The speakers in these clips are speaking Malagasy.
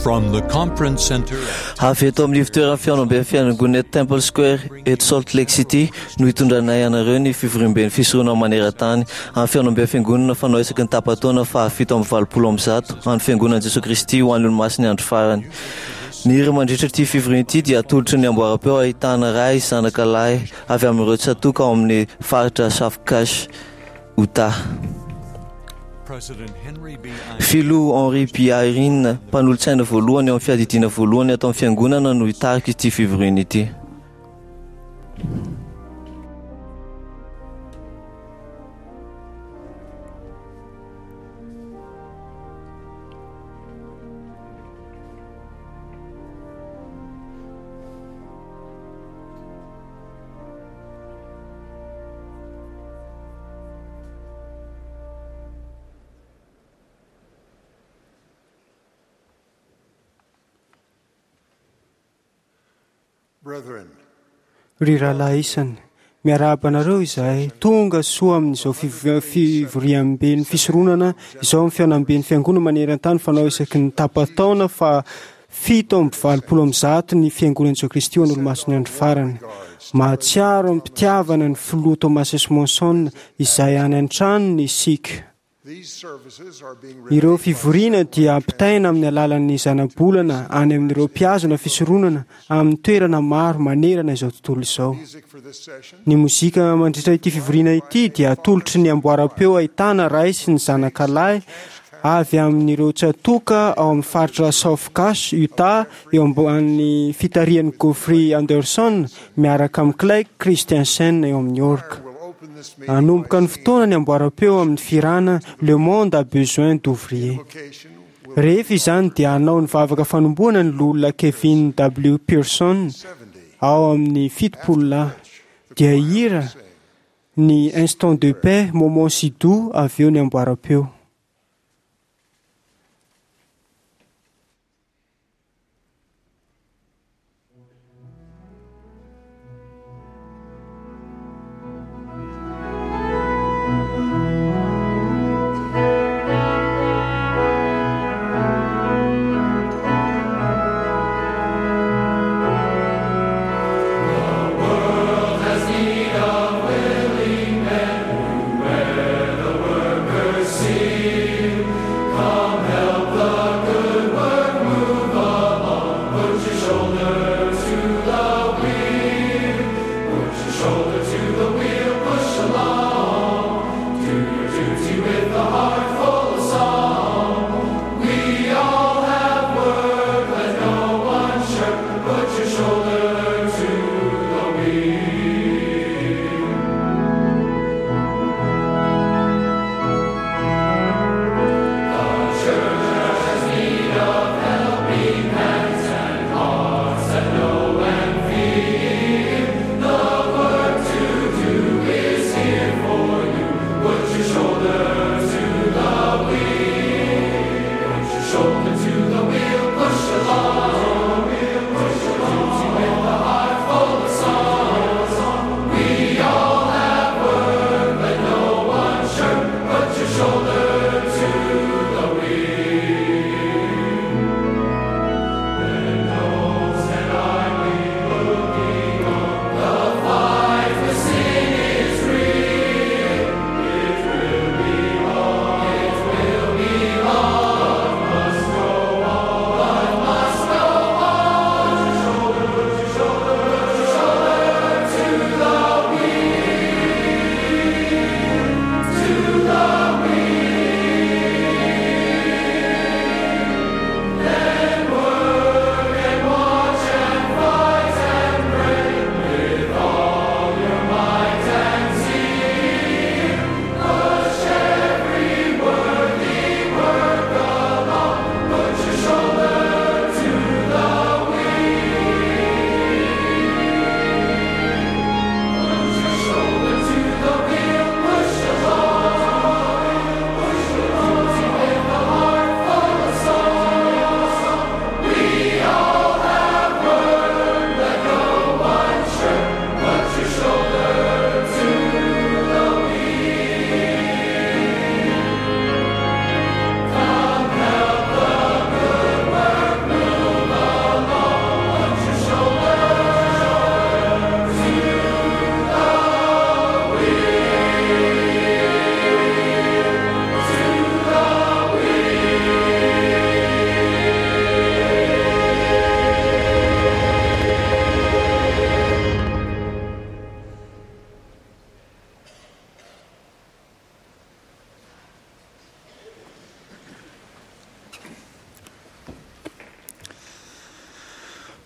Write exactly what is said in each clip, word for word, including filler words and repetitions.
From the conference center at Avy eto amin'ny ivontoeran'ny fihaonamben'ny fiangonana eto Temple Square eto Salt Lake City no hitondranay anareo ny fivoriamben'ny fisoronana maneran-tany amin'ny fihaonamben'ny fiangonana fanao isaky ny tapa-taona fahafito amby valopolo amby zato an'ny fiangonan'i Jesoa Kristy ho an'ny olomasin'ny andro farany. Ny hira mandritra ity fivoriana ity dia atolotry ny amboaram-peo ahitana ray zanaka lahy avy amin'ireo tsatoka ao amin'ny faritra South Cache, Utah. President Henry B. Filoha Henry B. Eyring, mpanolotsaina voalohany eo amin'ny fiadidiana voalohany ato amin'ny fiangonana no hitarika ity fivoriana ity. Brethren, Ry rahalahy isany, miarahaba anareo izahay. Tonga soa amin'izao fiv- fivoriamben'ny fisoronana izao amin'ny fihaonamben'ny fiangonana maneran-tany fanao isaky ny tapa-taona fa fito amby valopolo amby zato ny fiangonan'i Jesoa Kristy ho an'ny olomasin'ny andro farany. Mahatsiaro amim-pitiavana ny filoha Thomas S. Monson izay any an-tranony isika. these services are being Ireo relayed by fivoriana dia ampitaina amin'ny alalan'ny zanabolana any amin'ireo mpihazona fisoronana amin'ny toerana maro manerana izao tontolo izao. music for this session. Ny mozika mandritra ity fivoriana ity dia atolotry ny amboaram-peo ahitana ray sy ny zanakalahy avy amin'ireo tsatoka ao amin'ny faritra South Cache, Utah, eo ambanin'ny fitarihan'i Geoffrey Anderson miaraka amin'i Clay Christensen eo amin'ny orga. We'll open this meeting Hanomboka by ny fotoana ny amboaram-peo amin'ny firana Le monde a besoin d'ouvriers. invocation will Rehefa izany dia hanao ny vavaka fanombohana ny loholona Kevin W. Pearson seventy. ao amin'ny fitopolo lahy. Dia hira ny Instant de paix, moment si doux avy eo ny amboaram-peo. World has need of willing men who wear the workers' seal.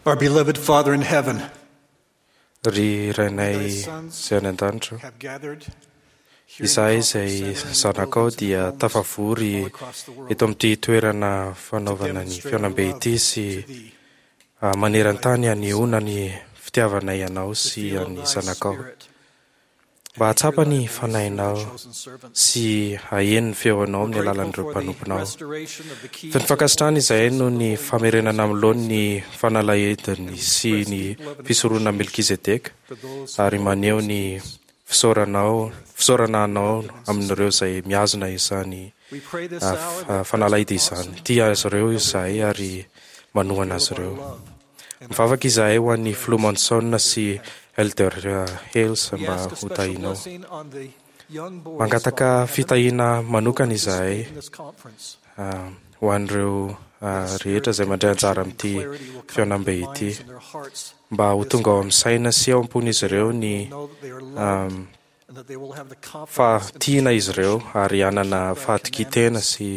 Our beloved Father in heaven, Ry Rainay izay any an-danitra, have gathered here in izahay the izay conference center and zanakao buildings dia and homes tafavory all across the world eto amin'ity toerana to fanaovana ny demonstrate our fihaonambe love ity sy to thee, ah, maneran-tany hanehoana ny fitiavanay anao to sy feel an'ny thy zanakao spirit, mba and to hear hahatsapa thy ny voice through thy fanahinao chosen servants. sy haheno ny feonao We're amin'ny grateful alalan'ireo for the mpanomponao. restoration of the keys Feno of fankasitrahana izahay holiness noho of the ny holy famerenana priesthood amin'ny laoniny ny fanalahidiny sy ny fisoronana Melkizedeka for those ary who maneho hold ny these keys. fisaoranao fisaorana anao amin'ireo izay mihazona izany We pray this ah, hour f- that ah, fanalahidy President izany. Monson Tia azy ireo Elder izahay Hales ary manohana feel azy of our ireo. love and our Mivavaka izahay ho an'ny prayers Filoha Monson to sy heaven. Elder ah, Hales We mba ask a ho special tahinao. blessing on the young boys, Mangataka Father in heaven, fitahiana who will manokana izahay participate in this conference. ah, ho an'ireo ah, That a rehetra spirit izay of mandray conviction anjara and amin'ity clarity will come to fihaonambe their ity minds and their hearts mba ho this tonga ao hour. amin'ny saina sy ao am-pon'izy ireo ny They will know that they are loved um, and that they will have the fa confidence and tiana izy ireo determination ary hanana to keep thy fahatokian-tena commandments sy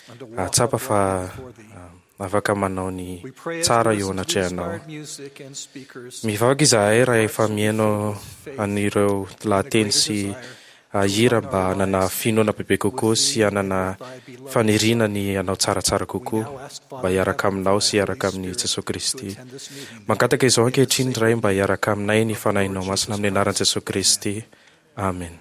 and to walk hahatsapa fa uprightly before thee. ah, afaka manao ny We pray as tsara we eo listen to the anatrehanao. inspired music and speakers Mivavaka izahay that our rehefa hearts will be mihaino filled with faith an'ireo and a lahateny greater sy desire ah, to hira align mba our hanana lives finoana bebe kokoa with sy thee and hanana with thy beloved faniriana Son. ny hanao tsaratsara We kokoa now ask, mba Father in hiaraka heaven, aminao for sy thy hiaraka Holy amin'i Spirit Jesosy to Kristy. attend this meeting Mangataka izao in the ankehitriny sacred Ray mba name hiaraka aminay ny of the Lord fanahinao masina Jesus amin'ny anaran'i Christ. Jesosy Amen. Kristy. Amen.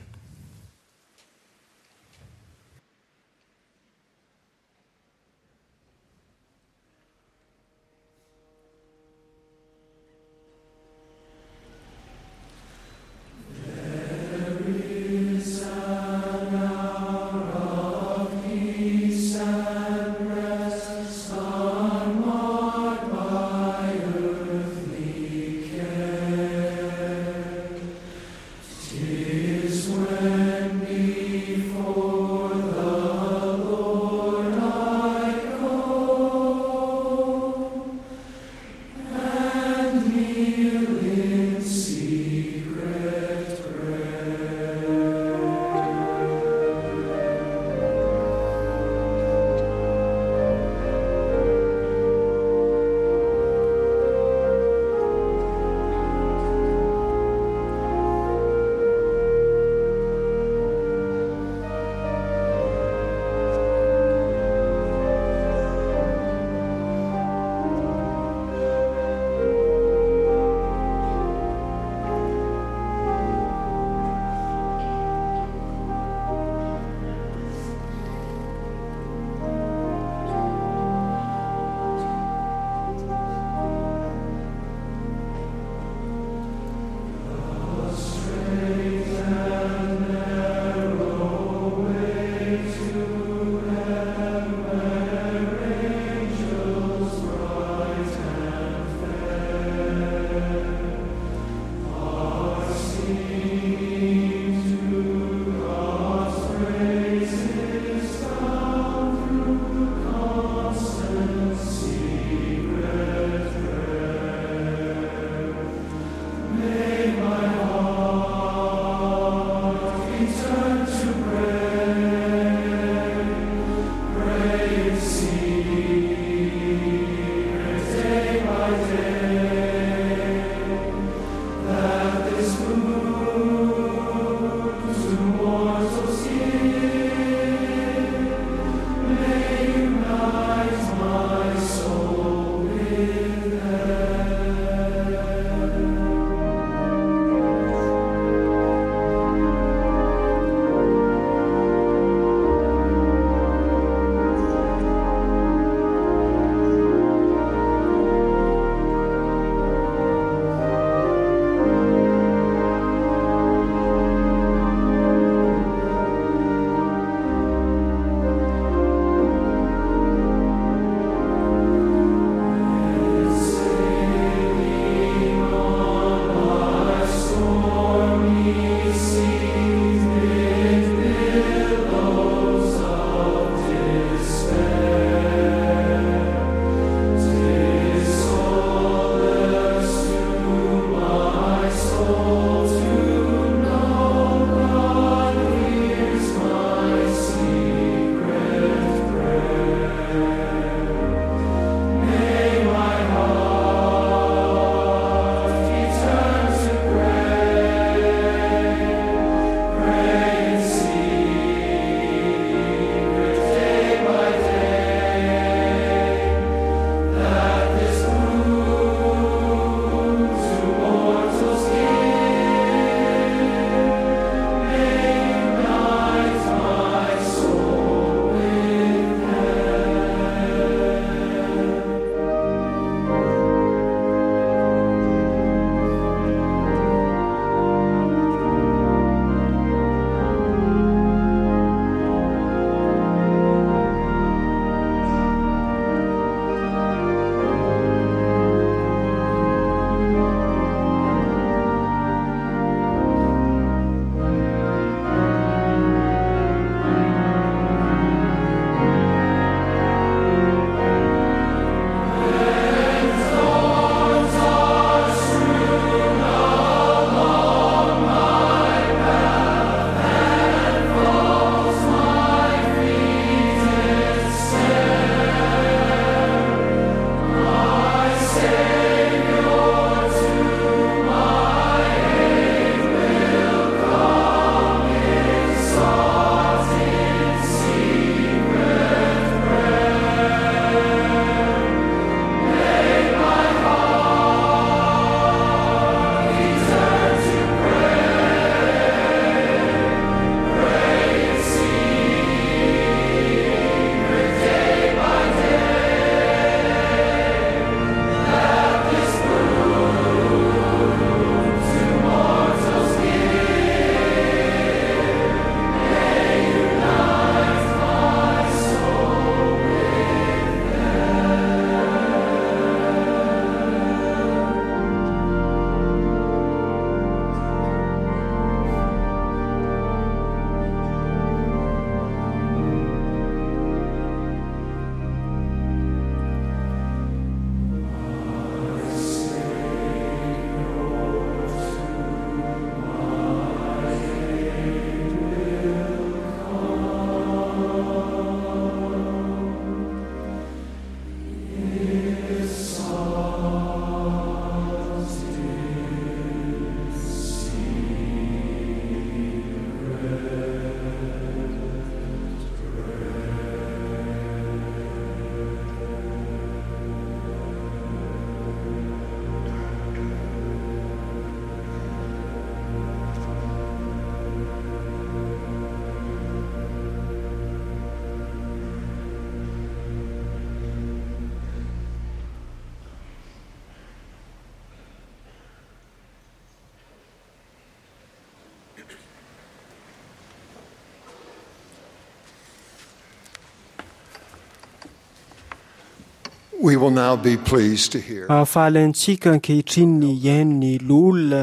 We will now be pleased to hear Mahafaly antsika ankehitriny ny hihaino ny loholona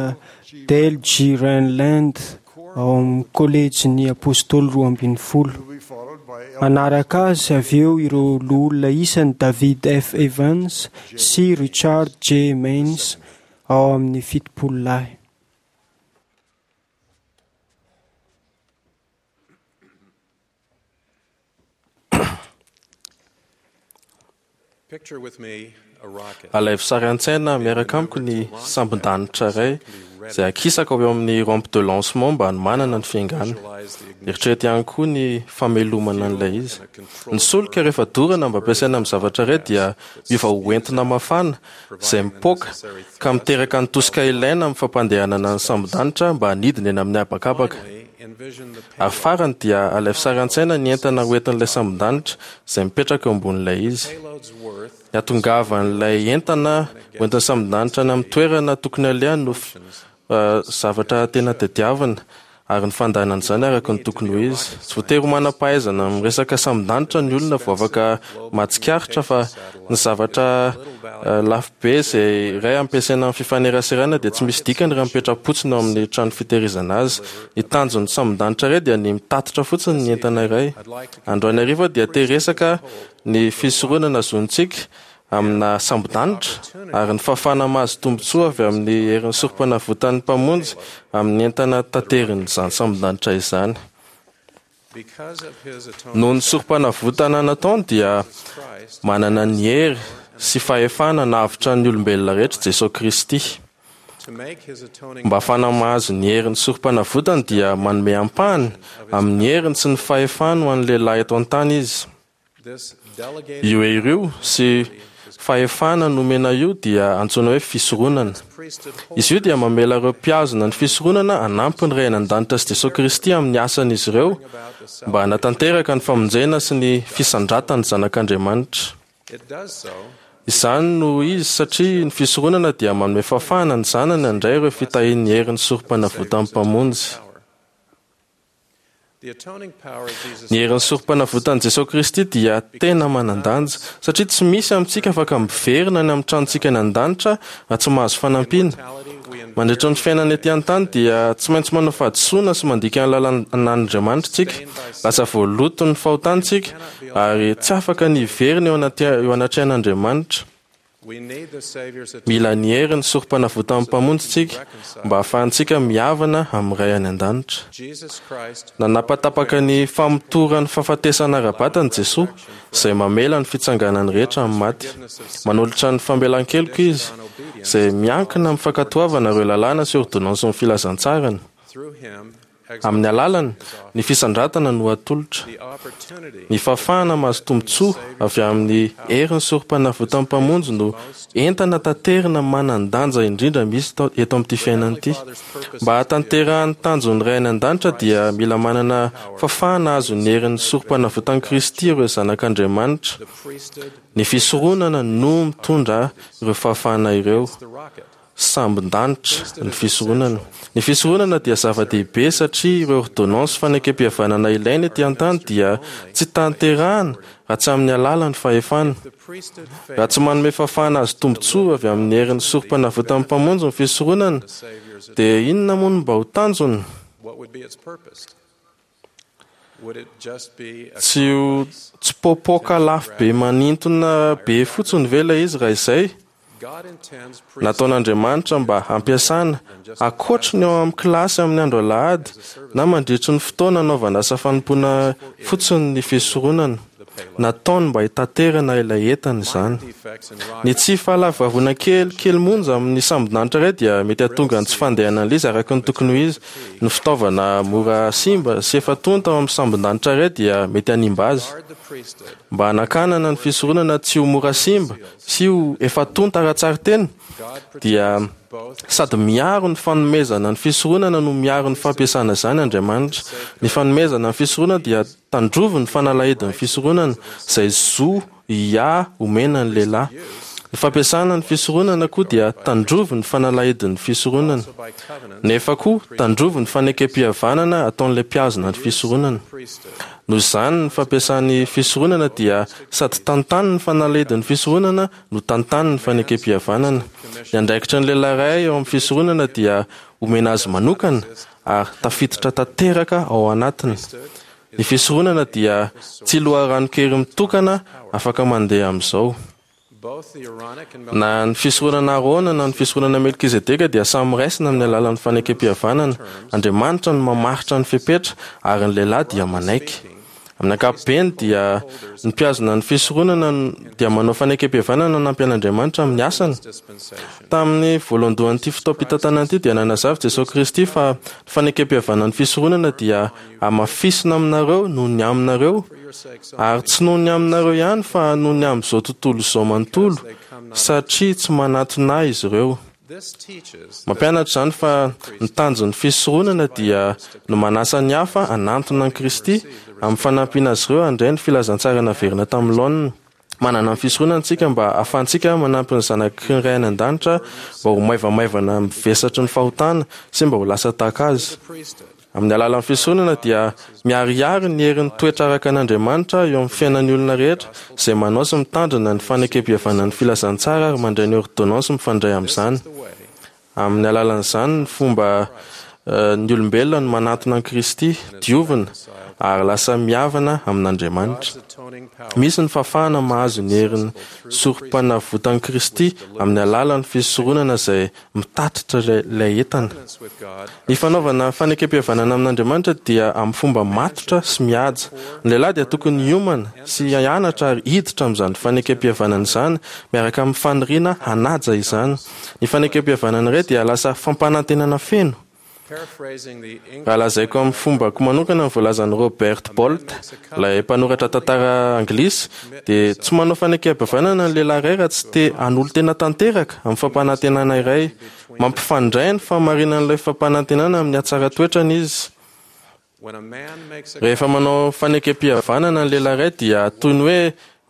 Dale G. Renlund ao amin'ny kolejin'ny apôstôly roa ambin'ny folo. will be followed by Manaraka azy avy eo ireo loholona isany David F. Evans sy Richard J. Maines ao amin'ny fitopolo lahy. Picture with me a rocket. Alaivo sary an-tsaina miaraka amiko ny sambon-danitra iray izay akisaka ao amin'ny rampe de lancement mba hanomanana ny fiaingana. Visualize the ignition Eritrereto ihany koa ny famelomana an'ilay izy. Ny solika rehefa dorana mba ampiasaina amin'ny zavatra iray dia miova ho entona mafana izay mipoaka ka miteraka ny tosika ilaina amin'ny fampandehanana ny sambon-danitra mba hanidina eny amin'ny habakabaka. Finally, envision the Ary payload. farany dia alaivo sary an-tsaina ny entana hoentin'ilay sambon-danitra izay mipetraka eo ambonin'ilay izy. Payload's worth Ny hatongavan'ilay entana hoentin'ny sambon-danitra any amin'ny toerana tokony alehany no f- eh, zavatra tena tadiavina ary ny fandahanana izany araka ny tokony ho izy. Tsy voatery ho manam-pahaizana amin'ny resaka sambon-danitra ny olona vao afaka mahatsikaritra fa ny zavatra eh, lafo be izay iray ampiasaina amin'ny fifaneraserana dia tsy misy dikany raha mipetra-potsiny ao amin'ny trano fitehirizana azy. Ny tanjon'ny sambon-danitra iray dia ny mitatitra fotsiny ny entana iray. Androany hariva dia te hiresaka ny fisoronana zontsika amina sambon-danitra ary ny fahafahana mahazo tombontsoa avy amin'ny herin'ny sorom-panavotan'ny mpamonjy amin'ny entana taterin'izany sambon-danitra izany. because of his atoning Noho ny sorom-panavotana nataony dia Christ manana ny hery sy fahefana nahavotra ny olombelona rehetra Jesosy Kristy. to make his atoning Mba hahafahana mahazo ny herin'ny sorom-panavotany dia manome ampahany amin'ny heriny sy ny fahefany ho an'ny lehilahy eto an-tany izy. this delegated Io hery io sy fahefana nomena io dia antsoina hoe fisoronana. priesthood Izy io dia mamela ireo mpihazona ny fisoronana hanampy ny Ray any an-danitra sy Jesosy Kristy amin'ny asan'izy ireo mba hanatanteraka ny famonjena sy ny fisandratan'ny zanak'Andriamanitra. it does so Izany no izy satria ny fisoronana dia manome fahafahana ny zanany handray ireo fitahian'ny herin'ny sorom-panavotan'ny mpamonjy. power. The atoning power of Jesus Ny herin'ny sorom-panavotan'i Jesosy Kristy dia tena manan-danja satria tsy misy amintsika afaka miverina any amin'ny tranontsika any an-danitra raha tsy mahazo fanampiana. mortality we Mandritra ny fiainana ety an-tany dia tsy maintsy manao fahadisoana sy mandika ny lalàn'Andriamanitra isika. Lasa voaloto ny fahotantsika ary tsy afaka ny hiverina eo anaty- eo anatrehan'Andriamanitra. we need the Savior's atonement Mila ny herin'ny sorom-panavotan'ny mpamonjy isika mba hahafahantsika mihavana amin'ny Ray any an-danitra. Jesus Christ Nanapatapaka ny famotoran'ny fahafatesana ara-batana Jesoa izay mamela ny fitsanganany rehetra amin'ny maty. Manolotra ny famelan-keloka izy izay miankina amin'ny fankatoavana ireo lalàna sy ordonnansin'ny filazantsarany. through him Amin'ny alalany, ny fisandratana no atolotra. the opportunity Ny fahafahana mahazo tombontsoa avy amin'ny herin'ny sorom-panavotan'ny mpamonjy no entana taterina manan-danja indrindra misy tao- eto amin'ity fiainana ity. Mba hahatanterahan'ny tanjon'ny Ray any an-danitra dia mila manana fahafahana azo ny herin'ny sorom-panavotan'i Kristy ireo zanak'Andriamanitra. the priesthood Ny fisoronana no mitondra ireo fahafahana ireo. the rocket Sambon-danitra ny fisoronana. Ny fisoronana dia zava-dehibe satria ireo ordonnance fanekempihavanana ilaina ety an-tany dia tsy tanterahana raha tsy amin'ny alalan'ny fahefana. the priesthood Raha tsy manome fahafahana azo tombontsoa avy amin'ny herin'ny sorom-panavotan'ny mpamonjy ny fisoronana, Savior's dia inona moa no mba ho tanjony? what would be its purpose would it just be a Tsy ho tsy popoka lafo be manintona be fotsiny ve ilay izy raha izay? God intends Nataon'Andriamanitra mba hampiasana ankoatry ny ao amin'ny kilasy amin'ny andro alahady na mandritry ny fotoana anaovana asa fanompoana fotsiny ny fisoronana. Nataony mba hitaterana ilay entana izany. defects in Ny tsy fahalavavoana kely kely monja amin'ny sambon-danitra iray dia mety hahatonga ny tsy fandehanan'ilay izy araka ny tokony ho izy. Ny fitaovana mora simba sy efa tonta ao amin'ny sambon-danitra iray dia mety hanimba azy. guard the priesthood Mba hanakanana ny fisoronana tsy ho mora simba sy ho efa tonta ara-tsary-tena God dia both sady miaro ny fanomezana ny fisoronana no miaro ny fampiasana izany Andriamanitra. Ny fanomezana ny fisoronana dia tandrovy ny fanalahidin'ny fisoronana izay zo ia omena ny lehilahy. Ny fampiasana ny fisoronana koa dia tandrovy ny fanalahidin'ny fisoronana. Nefa koa tandrovy ny fanekempihavanana ataon'ilay mpihazona ny fisoronana. Noho izany ny fampiasan'ny fisoronana dia sady tantany ny fanalahidin'ny fisoronana no tantany ny fanekempihavanana. Ny andraikitry ny lehilahy iray eo amin'ny fisoronana dia omena azy manokana ary tafiditra tanteraka ao anatiny. Ny fisoronana dia tsy loharanon-kery mitokana afaka mandeha amin'izao. Na ny fisoronana Arona na ny fisoronana Melkizedeka dia samy raisina amin'ny alalan'ny fanekempihavanana. Andriamanitra no mamaritra ny fepetra ary ny lehilahy dia manaiky. Amin'ny ankapobeny dia ny mpihazona ny fisoronana dia manao fanekempihavanana hanampy an'Andriamanitra amin'ny asany. Tamin'ny voalohandohan'ity fotoam-pitantanana ity dia nanazava Jesosy Kristy fa ny fanekempihavanan'ny fisoronana dia hamafisina aminareo noho ny aminareo, ary tsy noho ny aminareo ihany fa noho ny amin'izao tontolo izao manontolo, satria tsy manatona ahy izy ireo. Mampianatra izany fa ny tanjon'ny fisoronana dia ny manasa ny hafa hanantona an'i Kristy amin'ny fanampiana azy ireo handray ny filazantsara naverina tamin'ny laoniny. Manana ny fisoronana isika mba hahafahantsika manampy ny zanaky ny Ray any an-danitra mba ho maivamaivana amin'ny vesatry ny fahotana sy mba ho lasa tahaka azy. Amin'ny alalan'ny fisoronana dia miharihary ny herin'ny toetra araka an'Andriamanitra eo amin'ny fiainan'ny olona rehetra izay manao sy mitandrina ny fanekempihavanan'ny filazantsara ary mandray ny ôrdônansy mifandray amin'izany. Amin'ny alalan'izany ny fomba ny olombelona no manatona an'i Kristy, diovina ary lasa mihavana amin'Andriamanitra. Misy ny fahafahana mahazo ny herin'ny sorom-panavotan'i Kristy amin'ny alalan'ny fisoronana izay mitatitra ilay entana. Ny fanaovana fanekempihavanana amin'Andriamanitra dia amin'ny fomba matotra sy mihaja. Ny lehilahy dia tokony hiomana sy hianatra ary hiditra amin'izany fanekempihavanana izany miaraka amin'ny faniriana hanaja izany. Ny fanekempihavanana iray dia lasa fampanantenana feno. Raha lazaiko amin'ny fombako manokana ny voalazan'i Robert Bolt, ilay mpanoratra tantara anglisy, dia tsy manao fanekempihavanana ny lehilahy iray raha tsy te hanolo-tena tanteraka amin'ny fampanantenana iray. Mampifandray ny fahamarinan'ilay fampanantenana amin'ny hatsaran-toetrany izy. Rehefa manao fanekempihavanana ny lehilahy iray dia toy ny hoe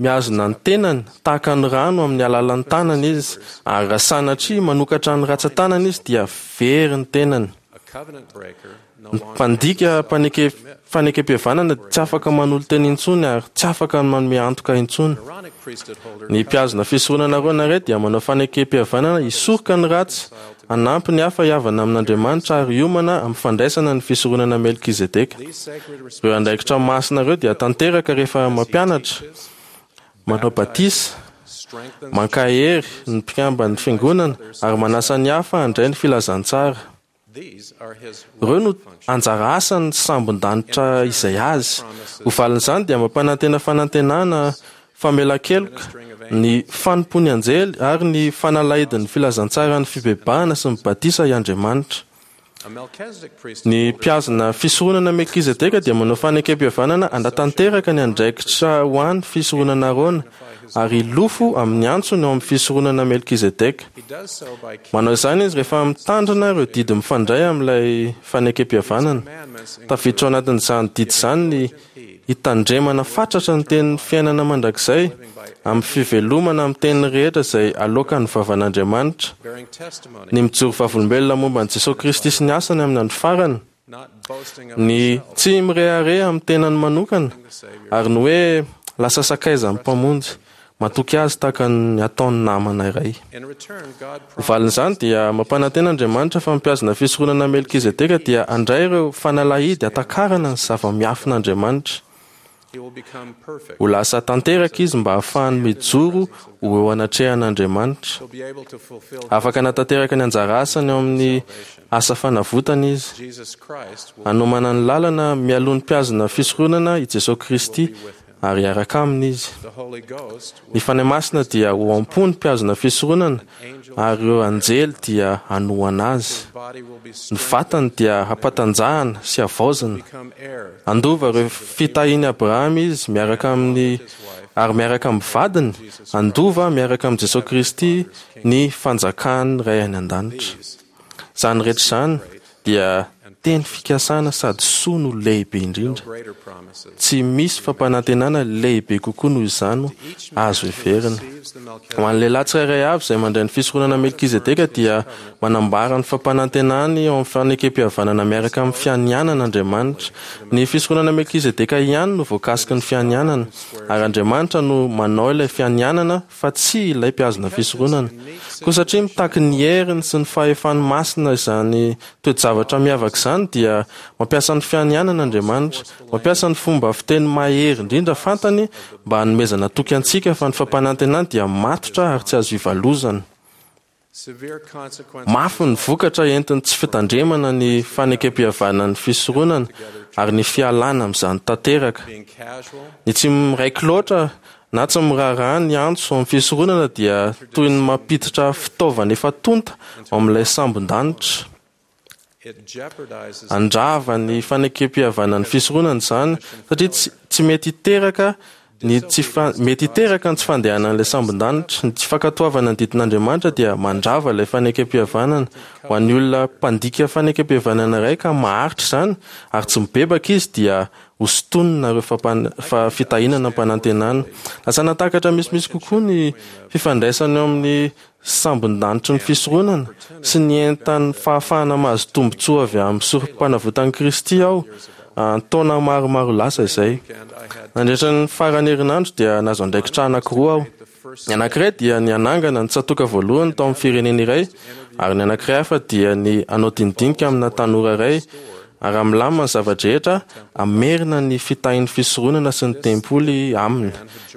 mihazona ny tenany tahaka ny rano amin'ny alalan'ny tanany izy, ary raha sanatria manokatra ny ratsan-tanany izy dia very ny tenany. Ny mpandika mpaneke fanekempihavanana tsy afaka manolo-tena intsony ary tsy afaka manome antoka intsony. Ny mpihazona fisoronana Arona iray dia manao fanekempihavanana hisoroka ny ratsy, hanampy ny hafa hihavana amin'Andriamanitra ary hiomana amin'ny fandraisana ny fisoronana Melkizedeka. Ireo andraikitra masina ireo dia tanteraka rehefa mampianatra, manao batisa, mankahery ny mpikamban'ny fiangonana ary manasa ny hafa handray ny filazantsara. Ireo no anjara asan'ny sambon-danitra izay azy. Ho valin'izany dia mampanantena fanantenana, famelan-keloka, ny fanompoan'ny anjely ary ny fanalahidin'ny filazantsaran'ny fibebahana sy ny batisa i Andriamanitra. Ny mpihazona fisoronana Melkizedeka dia manao fanekempihavanana hanatanteraka ny andraikitra ho an'ny fisoronana Arona ary hilofo amin'ny antsony ao amin'ny fisoronana Melkizedeka. Manao izany izy rehefa mitandrina ireo didy mifandray amin'ilay fanekempihavanana. Tafiditra ao anatin'izany didy izany ny hitandremana fatratra ny tenin'ny fiainana mandrakizay amin'ny fivelomana amin'ny teny rehetra izay aloakan'ny vavan'Andriamanitra, ny mijoro vavolombelona momba an'i Jesosy Kristy sy ny asany amin'ny andro farany, ny tsy mirehareha amin'ny tenany manokana, ary ny hoe lasa sakaizan'ny Mpamonjy, matoky azy tahaka ny ataon'ny namana iray. Ho valin'izany dia mampanantena Andriamanitra fa ny mpihazona fisoronana Melkizedeka dia handray ireo fanalahidy hatakarana ny zava-miafin'Andriamanitra. Ho lasa tanteraka izy mba hahafahany mijoro ho eo anatrehan'Andriamanitra. Afaka hanatanteraka ny anjara asany ao amin'ny asa fanavotana izy. Hanomana ny lalana mialoha ny mpihazona fisoronana i Jesosy Kristy ary hiaraka aminy izy. Ny Fanahy Masina dia ho am-po ny mpihazona fisoronana ary ireo anjely dia hanohana azy. Ny vatany dia hampatanjahana sy havaozina. Handova ireo fitahian'i Abrahama izy miaraka amin'ny ary miaraka amin'ny vadiny, handova miaraka amin'i Jesosy Kristy ny fanjakan'ny Ray any an-danitra. Izany rehetra izany dia teny fikasana sady soa no lehibe indrindra. Tsy misy fampanantenana lehibe kokoa noho izany azo heverina. Ho an'ny lehilahy tsirairay avy izay mandray ny fisoronana Melkizedeka dia manambara ny fampanantenany eo amin'ny fanekem-pihavanana miaraka amin'ny fianianana Andriamanitra. Ny fisoronana Melkizedeka ihany no voakasiky ny fianianana, ary Andriamanitra no manao ilay fianianana fa tsy ilay mpihazona fisoronana. Koa satria mitaky ny heriny sy ny fahefany masina izany toe-javatra miavaka izany dia mampiasa ny fianianana Andriamanitra, mampiasa ny fomba fiteny mahery indrindra fantany mba hanomezana toky antsika fa ny fampanantenany dia matotra ary tsy azo ivalozana. Mafy ny vokatra entin'ny tsy fitandremana ny fanekem-pihavanan'ny fisoronana ary ny fialana amin'izany tanteraka. Ny tsy miraiky loatra na tsy miraharaha ny antso amin'ny fisoronana dia toy ny mampiditra fitaovana efa tonta ao amin'ilay sambon-danitra. Andrava ny fanekem-pihavanan'ny fisoronana izany satria tsy, tsy mety hiteraka ny tsy fa, mety hiteraka ny tsy fandehanan'ilay sambon-danitra. Ny tsy fankatoavana ny didin'Andriamanitra dia mandrava ilay fanekem-pihavanana. Ho an'ny olona mpandika fanekem-pihavanana iray ka maharitra izany ary tsy mibebaka izy dia hosintonina ireo fampan-, fa fitahiana nampanantenana. Lasa natakatra misimisy kokoa ny fifandraisana eo amin'ny sambon-danitry ny fisoronana sy ny entan'ny fahafahana mahazo tombontsoa avy amin'ny sorom-panavotan'i Kristy aho taona maromaro lasa izay. Nandritra ny faran'ny herinandro dia nahazo andraikitra anankiroa aho. Ny anankiray dia ny hanangana ny tsatoka voalohany tao amin'ny firenena iray, ary ny anankiray hafa dia ny hanao dinidinika amina tanora iray ary milamina ny zava-drehetra hamerina ny fitahin'ny fisoronana sy ny tempoly aminy.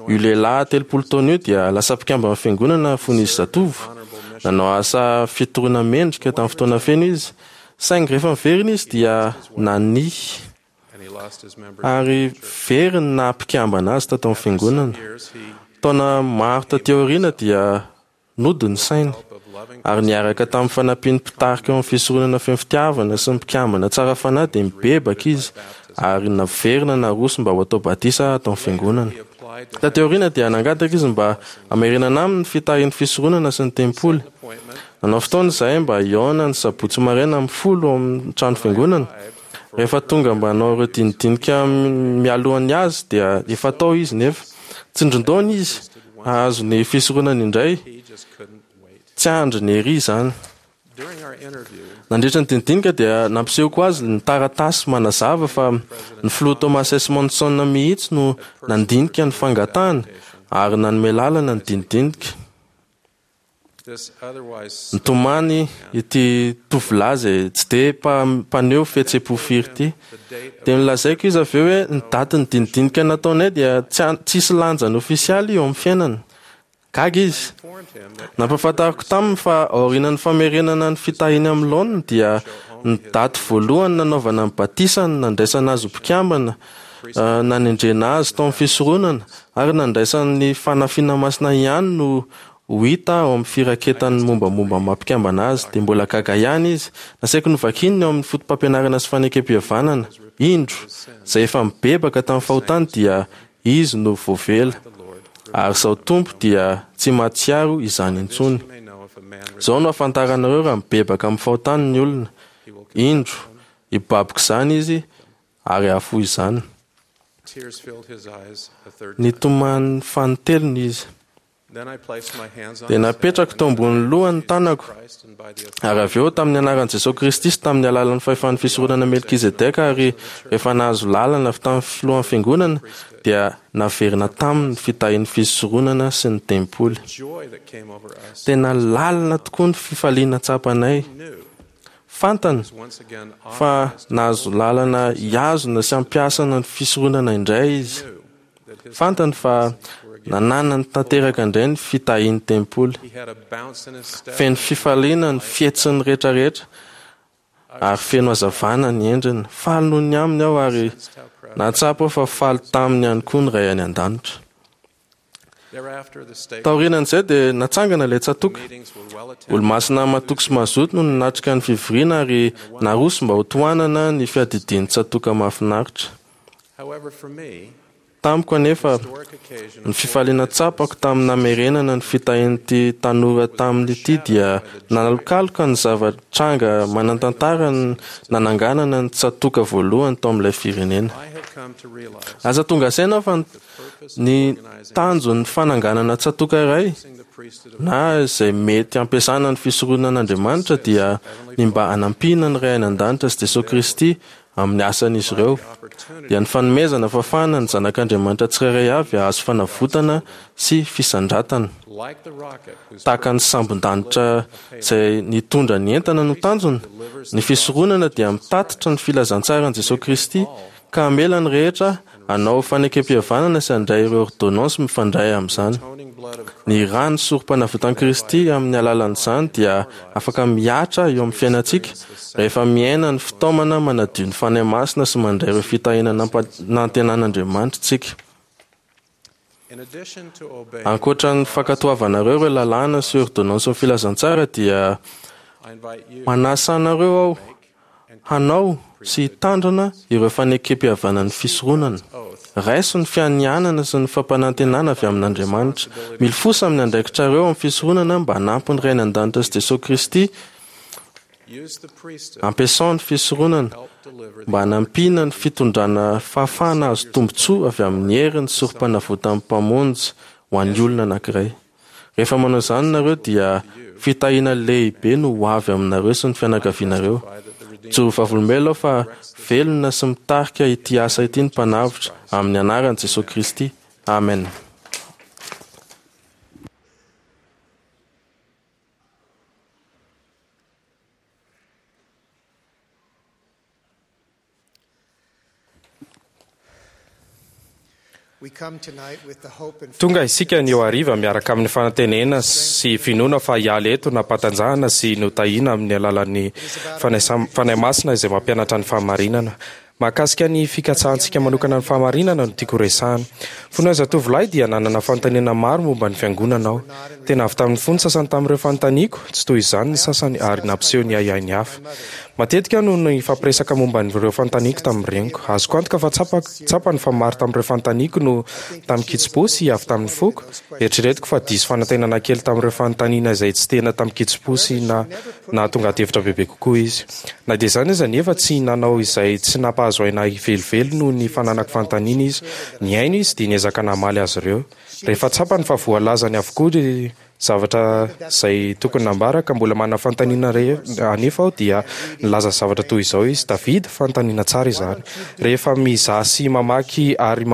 Io lehilahy telopolo taona io dia lasa mpikambana amin'ny fiangonana fony izy zatovo. Nanao asa fitoriana mendrika tamin'ny fotoana feno izy, saingy rehefa miverina izy dia nania ary very ny naha mpikambana azy tato amin'ny fiangonana. Taona maro taty aoriana dia nody ny sainy ary niaraka tamin'ny fanampian'ny mpitarika eo amin'ny fisoronana feno fitiavana sy ny mpikambana tsara fanahy dia mibebaka izy ary naverina naroso mba ho atao batisa ato amin'ny fiangonana. Taty aoriana dia nangataka izy mba hamerenana aminy ny fitahian'ny fisoronana sy ny tempoly. Nanao fotoana izahay mba hihaona ny sabotsy maraina amin'ny folo ao amin'ny trano fiangonana. Rehefa tonga mba hanao ireo dinidinika mialohan'ny azy dia efa tao izy nefa tsindrin-daona izy hahazo ny fisoronana indray. Tsy andriny ery izany. Nandritra ny dinidinika dia nampisehoko azy ny taratasy manazava fa ny filoha Thomas S. Monson mihitsy no nandinika ny fangatahany ary nanome lalana ny dinidinika. Nitomany ity tovolahy izay tsy dia mpaneho fihetseham-po firy ity. Dia nolazaiko izy avy eo hoe ny datin'ny dinidinika nataonay dia tsisy lanjany ofisialy eo amin'ny fiainana. Gaga izy. Nampahafantariko taminy fa aorianan'ny famerenana ny fitahiany amin'ny laoniny dia ny daty voalohany nanaovana ny batisany, nandraisana azy ho mpikambana, nanendrena azy tao amin'ny fisoronana ary nandraisany ny fanafiana masina ihany no ho hita ao amin'ny firaketan'ny mombamomba mampikambana azy. Dia mbola gaga ihany izy. Nasaiko novakiny ao amin'ny foto-pampianarana sy fanekem-pihavanana. Indro, izay efa mibebaka tamin'ny fahotany dia izy no voavela. Ary izao Tompo dia tsy mahatsiaro izany intsony. Izao no ahafantaranareo raha mibebaka amin'ny fahotany ny olona. Indro, hibaboka izany izy ary hahafoy izany. Nitomany fanintelony izy. Dia napetrako tao ambonin'ny lohany ny tanako, ary avy eo tamin'ny anaran'i Jesosy Kristy sy tamin'ny alalan'ny fahefan'ny fisoronana Melkizedeka ary rehefa nahazo lalana avy tamin'ny filohan'ny fiangonana dia naverina taminy ny fitahian'ny fisoronana sy ny tempoly. Tena lalina tokoa ny fifaliana tsapanay. Fantany fa nahazo lalana hihazona sy hampiasana ny fisoronana indray izy. Fantany fa nananany tanteraka indray ny fitahian'ny tempoly. Feno fifaliana ny fihetsiny rehetrarehetra ary feno hazavana ny endriny. Faly noho ny aminy aho ary nahatsapa aho fa faly taminy ihany koa ny Ray any an-danitra. Taorianan'izay dia natsangana ilay tsatoka. Olomasina matoky sy mazoto no nanatrika ny fivoriana ary naroso mba ho tohanana ny fiadidian'ny tsatoka mahafinaritra. Tamiko anefa ny fifaliana tsapako tamin'ny namerenana ny fitahian'ity tanora tamin'ity dia nanalokaloka ny zava-tranga manan-tantara nananganana ny tsatoka voalohany tao amin'ilay firenena. Aza tonga saina fa ny tanjon'ny fananganana tsatoka iray na izay mety ampiasana ny fisoronan'Andriamanitra dia ny mba hanampiana ny Ray any an-danitra sy Jesosy Kristy amin'ny asan'izy ireo, dia ny fanomezana fahafahana ny zanak'Andriamanitra tsirairay avy hahazo fanavotana sy fisandratana. Tahaka ny sambon-danitra izay nitondra ny entana no tanjona, ny fisoronana dia mitatitra ny filazantsaran'i Jesosy Kristy ka hamela ny rehetra hanao fanekem-pihavanana sy handray ireo ordonnance mifandray amin'izany. Ny rà ny sorom-panavotan'i Kristy amin'ny alalan'izany dia afaka mihatra eo amin'ny fiainantsika rehefa miaina ny fitaomana manadio ny Fanahy Masina sy mandray ireo fitahiana nampanantenan'Andriamanitra isika. Ankoatra ny fankatoavanareo ireo lalàna sy ordonnance ny filazantsara dia manasa anareo aho hanao sy hitandrina ireo fanekem-pihavanan'ny fisoronana. Raiso ny fianianana sy ny fampanantenana avy amin'Andriamanitra. Milofosa amin'ny andraikitrareo amin'ny fisoronana mba hanampy ny Ray any an-danitra sy Jesosy Kristy. Ampiasao ny fisoronana mba hanampiana ny fitondrana fahafahana azo tombontsoa avy amin'ny herin'ny sorom-panavotan'ny Mpamonjy ho an'ny olona anankiray. Rehefa manao izany nareo dia fitahiana lehibe no ho avy aminareo sy ny fianakavianareo. Joro vavolombelona aho fa velona sy mitarika ity asa ity ny Mpanavotra amin'ny anaran'i Jesosy Kristy. Amen. Tonga isika ny eo hariva miaraka amin'ny fanantenana sy finoana fa hiala eto nampatanjahana sy notahiana amin'ny alalan'ny Fanahy Masina izay mampianatra ny fahamarinana. Mahakasika ny fikatsahantsika manokana ny fahamarinana no tiako resahana. Fony aho zatovolahy dia nanana fanontaniana maro momba ny fiangonana aho. Tena avy tamin'ny fo ny sasany tamin'ireo fanontaniako, tsy toy izany ny sasany ary nampiseho ny ahiahy ny hafa. Matetika no nifampiresaka momba ireo fanontaniako tamin'ny reniko. Azoko antoka fa tsapany fa maro tamin'ireo fanontaniako no tamin-kitsim-po sy avy tamin'ny foko. Eritreretiko fa diso fanantenana kely tamin'ireo fanontaniana izay tsy tena tamin-kitsim-po sy na nahatonga adihevitra bebe kokoa izy. Na dia izany aza nefa tsy nanao izay tsy nampahazo aina ahy velively noho ny fananako fanontaniana izy. Nihaino izy dia niezaka namaly azy ireo. Rehefa tsapany fa voalazany avokoa ny zavatra izay tokony nambara ka mbola manana fanontaniana anefa aho dia nilaza zavatra toy izao izy: David, fanontaniana tsara izany. Rehefa mizaha sy mamaky ary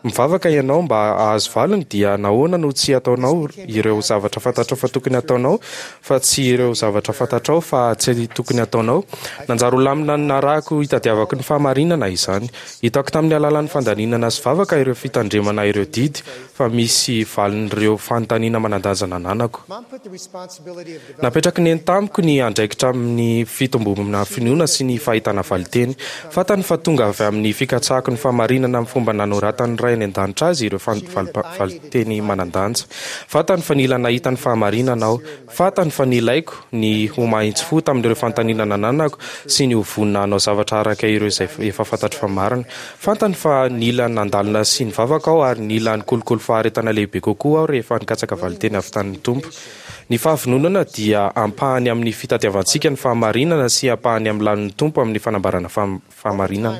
mivavaka ianao mba hahazo valiny dia nahoana no tsy ataonao ireo zavatra fantatrao fa tokony ataonao fa tsy ireo zavatra fantatrao fa tsy tokony ataonao? Nanjary ho lamina narahako hitadiavako ny fahamarinana izany. Hitako tamin'ny alalan'ny fandalinana sy vavaka ireo fitandremana ireo didy fa misy valin'ireo fanontaniana manan-danja nananako. Napetraky neny tamiko ny andraikitra amin'ny fitombonana finoana sy ny fahitana valinteny. Fantany fa tonga avy amin'ny fikatsahako ny fahamarinana amin'ny fomba nanoratan'ny Ray any an-danitra azy ireo valinteny manan-danja. Fantany fa nila nahita ny fahamarinana aho. Fantany fa nilaiko ny ho mahitsy fo tamin'ireo fanontaniana nananako sy ny ho vonona hanao zavatra araka ireo izay efa fantatro fa marina. Fantany fa nila nandalina sy nivavaka aho ary nila nikolokolo faharetana lehibe kokoa aho rehefa nikatsaka valinteny avy tamin'ny Tompo. Ny fahavononana dia ampahany amin'ny fitadiavantsika ny fahamarinana sy ampahany amin'ny lanin'ny Tompo amin'ny fanambarana fahamarinana.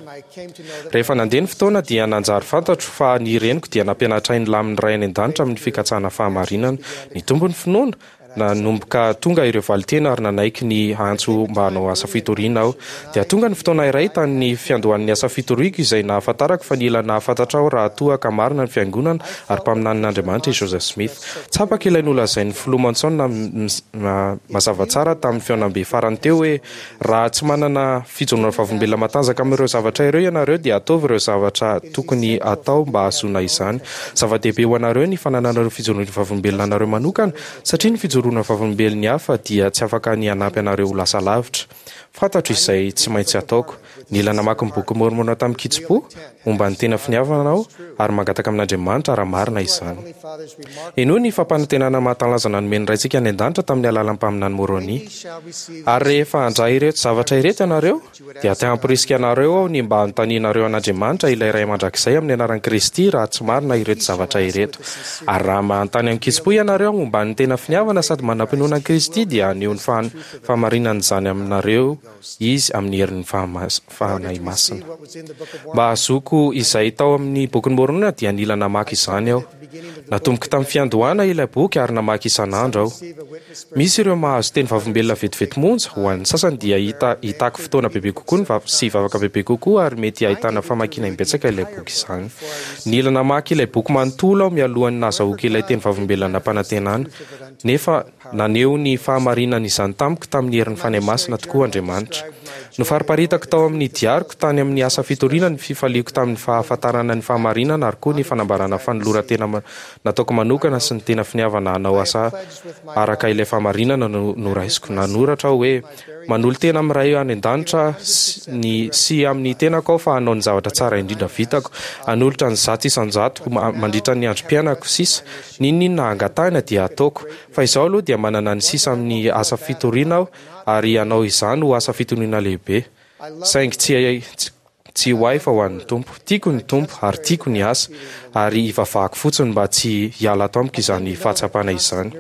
Rehefa nandeha ny fotoana dia nanjary fantatro fa ny reniko dia nampianatra ahy ny lamin'ny Ray any an-danitra amin'ny fikatsahana fahamarinana. Nitombo ny finoana, nanomboka tonga ireo valinteny ary nanaiky ny antso mba hanao asa fitoriana aho. Dia tonga ny fotoana iray tamin'ny fiandohan'ny asa fitoriako izay nahafantarako fa nila nahafantatra aho raha toa ka marina ny fiangonana ary mpaminanin'Andriamanitra i Joseph Smith. Tsapako ilay nolazain'ny filoha Monson mazava tsara tamin'ny fihaonambe farany teo hoe raha tsy manana fijoroana vavolombelona matanjaka amin'ireo zavatra ireo ianareo dia ataovy ireo zavatra tokony atao mba hahazoana izany. Zava-dehibe ho anareo ny fanananareo fijoroana vavolombelona anareo manokana satria ny fijoroana vavolombelon'ny hafa dia tsy afaka ny hanampy anareo ho lasa lavitra. Fantatro izay tsy maintsy ataoko. Nila namaky ny boky Môrmôna tamin-kitsim-po momba ny tena finiavana aho ary mangataka amin'Andriamanitra raha marina izany. Henoy ny fampanantenana mahatalanjona nomen'ny Raintsika any an-danitra tamin'ny alalan'ny mpaminany Môrônia. Ary rehefa handray ireto zavatra ireto ianareo, dia te hamporisika anareo aho ny mba hanontanianareo an'Andriamanitra ilay Ray mandrakizay amin'ny anaran'i Kristy raha tsy marina ireto zavatra ireto. Ary raha manontany amin-kitsim-po ianareo momba ny tena finiavana sady manam-pinoana an'i Kristy, dia haneho ny fahamarinan'izany aminareo Izy amin'ny herin'ny Fanahy Masina. Mba hahazoako izay tao amin'ny bokin'i Môrônia dia nila namaky izany aho. Natomboko tamin'ny fiandohana ilay boky ary namaky isan'andro aho. Misy ireo mahazo teny vavolombelona vetivety monja, ho an'ny sasany dia hita hitaky fotoana bebe kokoa ny sy vavaka bebe kokoa ary mety hahitana famakiana imbetsaka ilay boky izany. Nila namaky ilay boky manontolo aho mialohan'ny nahazahoako ilay teny vavolombelona nampanantenana, nefa naneho ny fahamarinan'izany tamiko tamin'ny herin'ny Fanahy Masina tokoa Andriamanitra. Nofariparitako tao amin'ny diariko tany amin'ny asa fitoriana ny fifaliako tamin'ny fahafantarana ny fahamarinana ary koa ny fanambarana fanoloran-tena nataoko manokana sy ny tena finiavana hanao asa araka ilay fahamarinana no noraisiko. Nanoratra aho hoe, Manolo-tena amin'ny Ray any an-danitra ny sy amin'ny tenako aho fa hanao ny zavatra tsara indrindra vitako, hanolotra ny zato isan-jato mandritra ny androm-piainako sisa. N'inon'inona angatahina dia hataoko. Fa izao aloha dia manana ny sisa amin'ny asa fitoriana aho ary hanao izany ho asa fitoriana lehibe. Saingy tsy tsy ho ahy fa ho an'ny Tompo. Tiako ny Tompo ary tiako ny asa, ary ivavahako fotsiny mba tsy hiala ato amiko izany fahatsapana izany.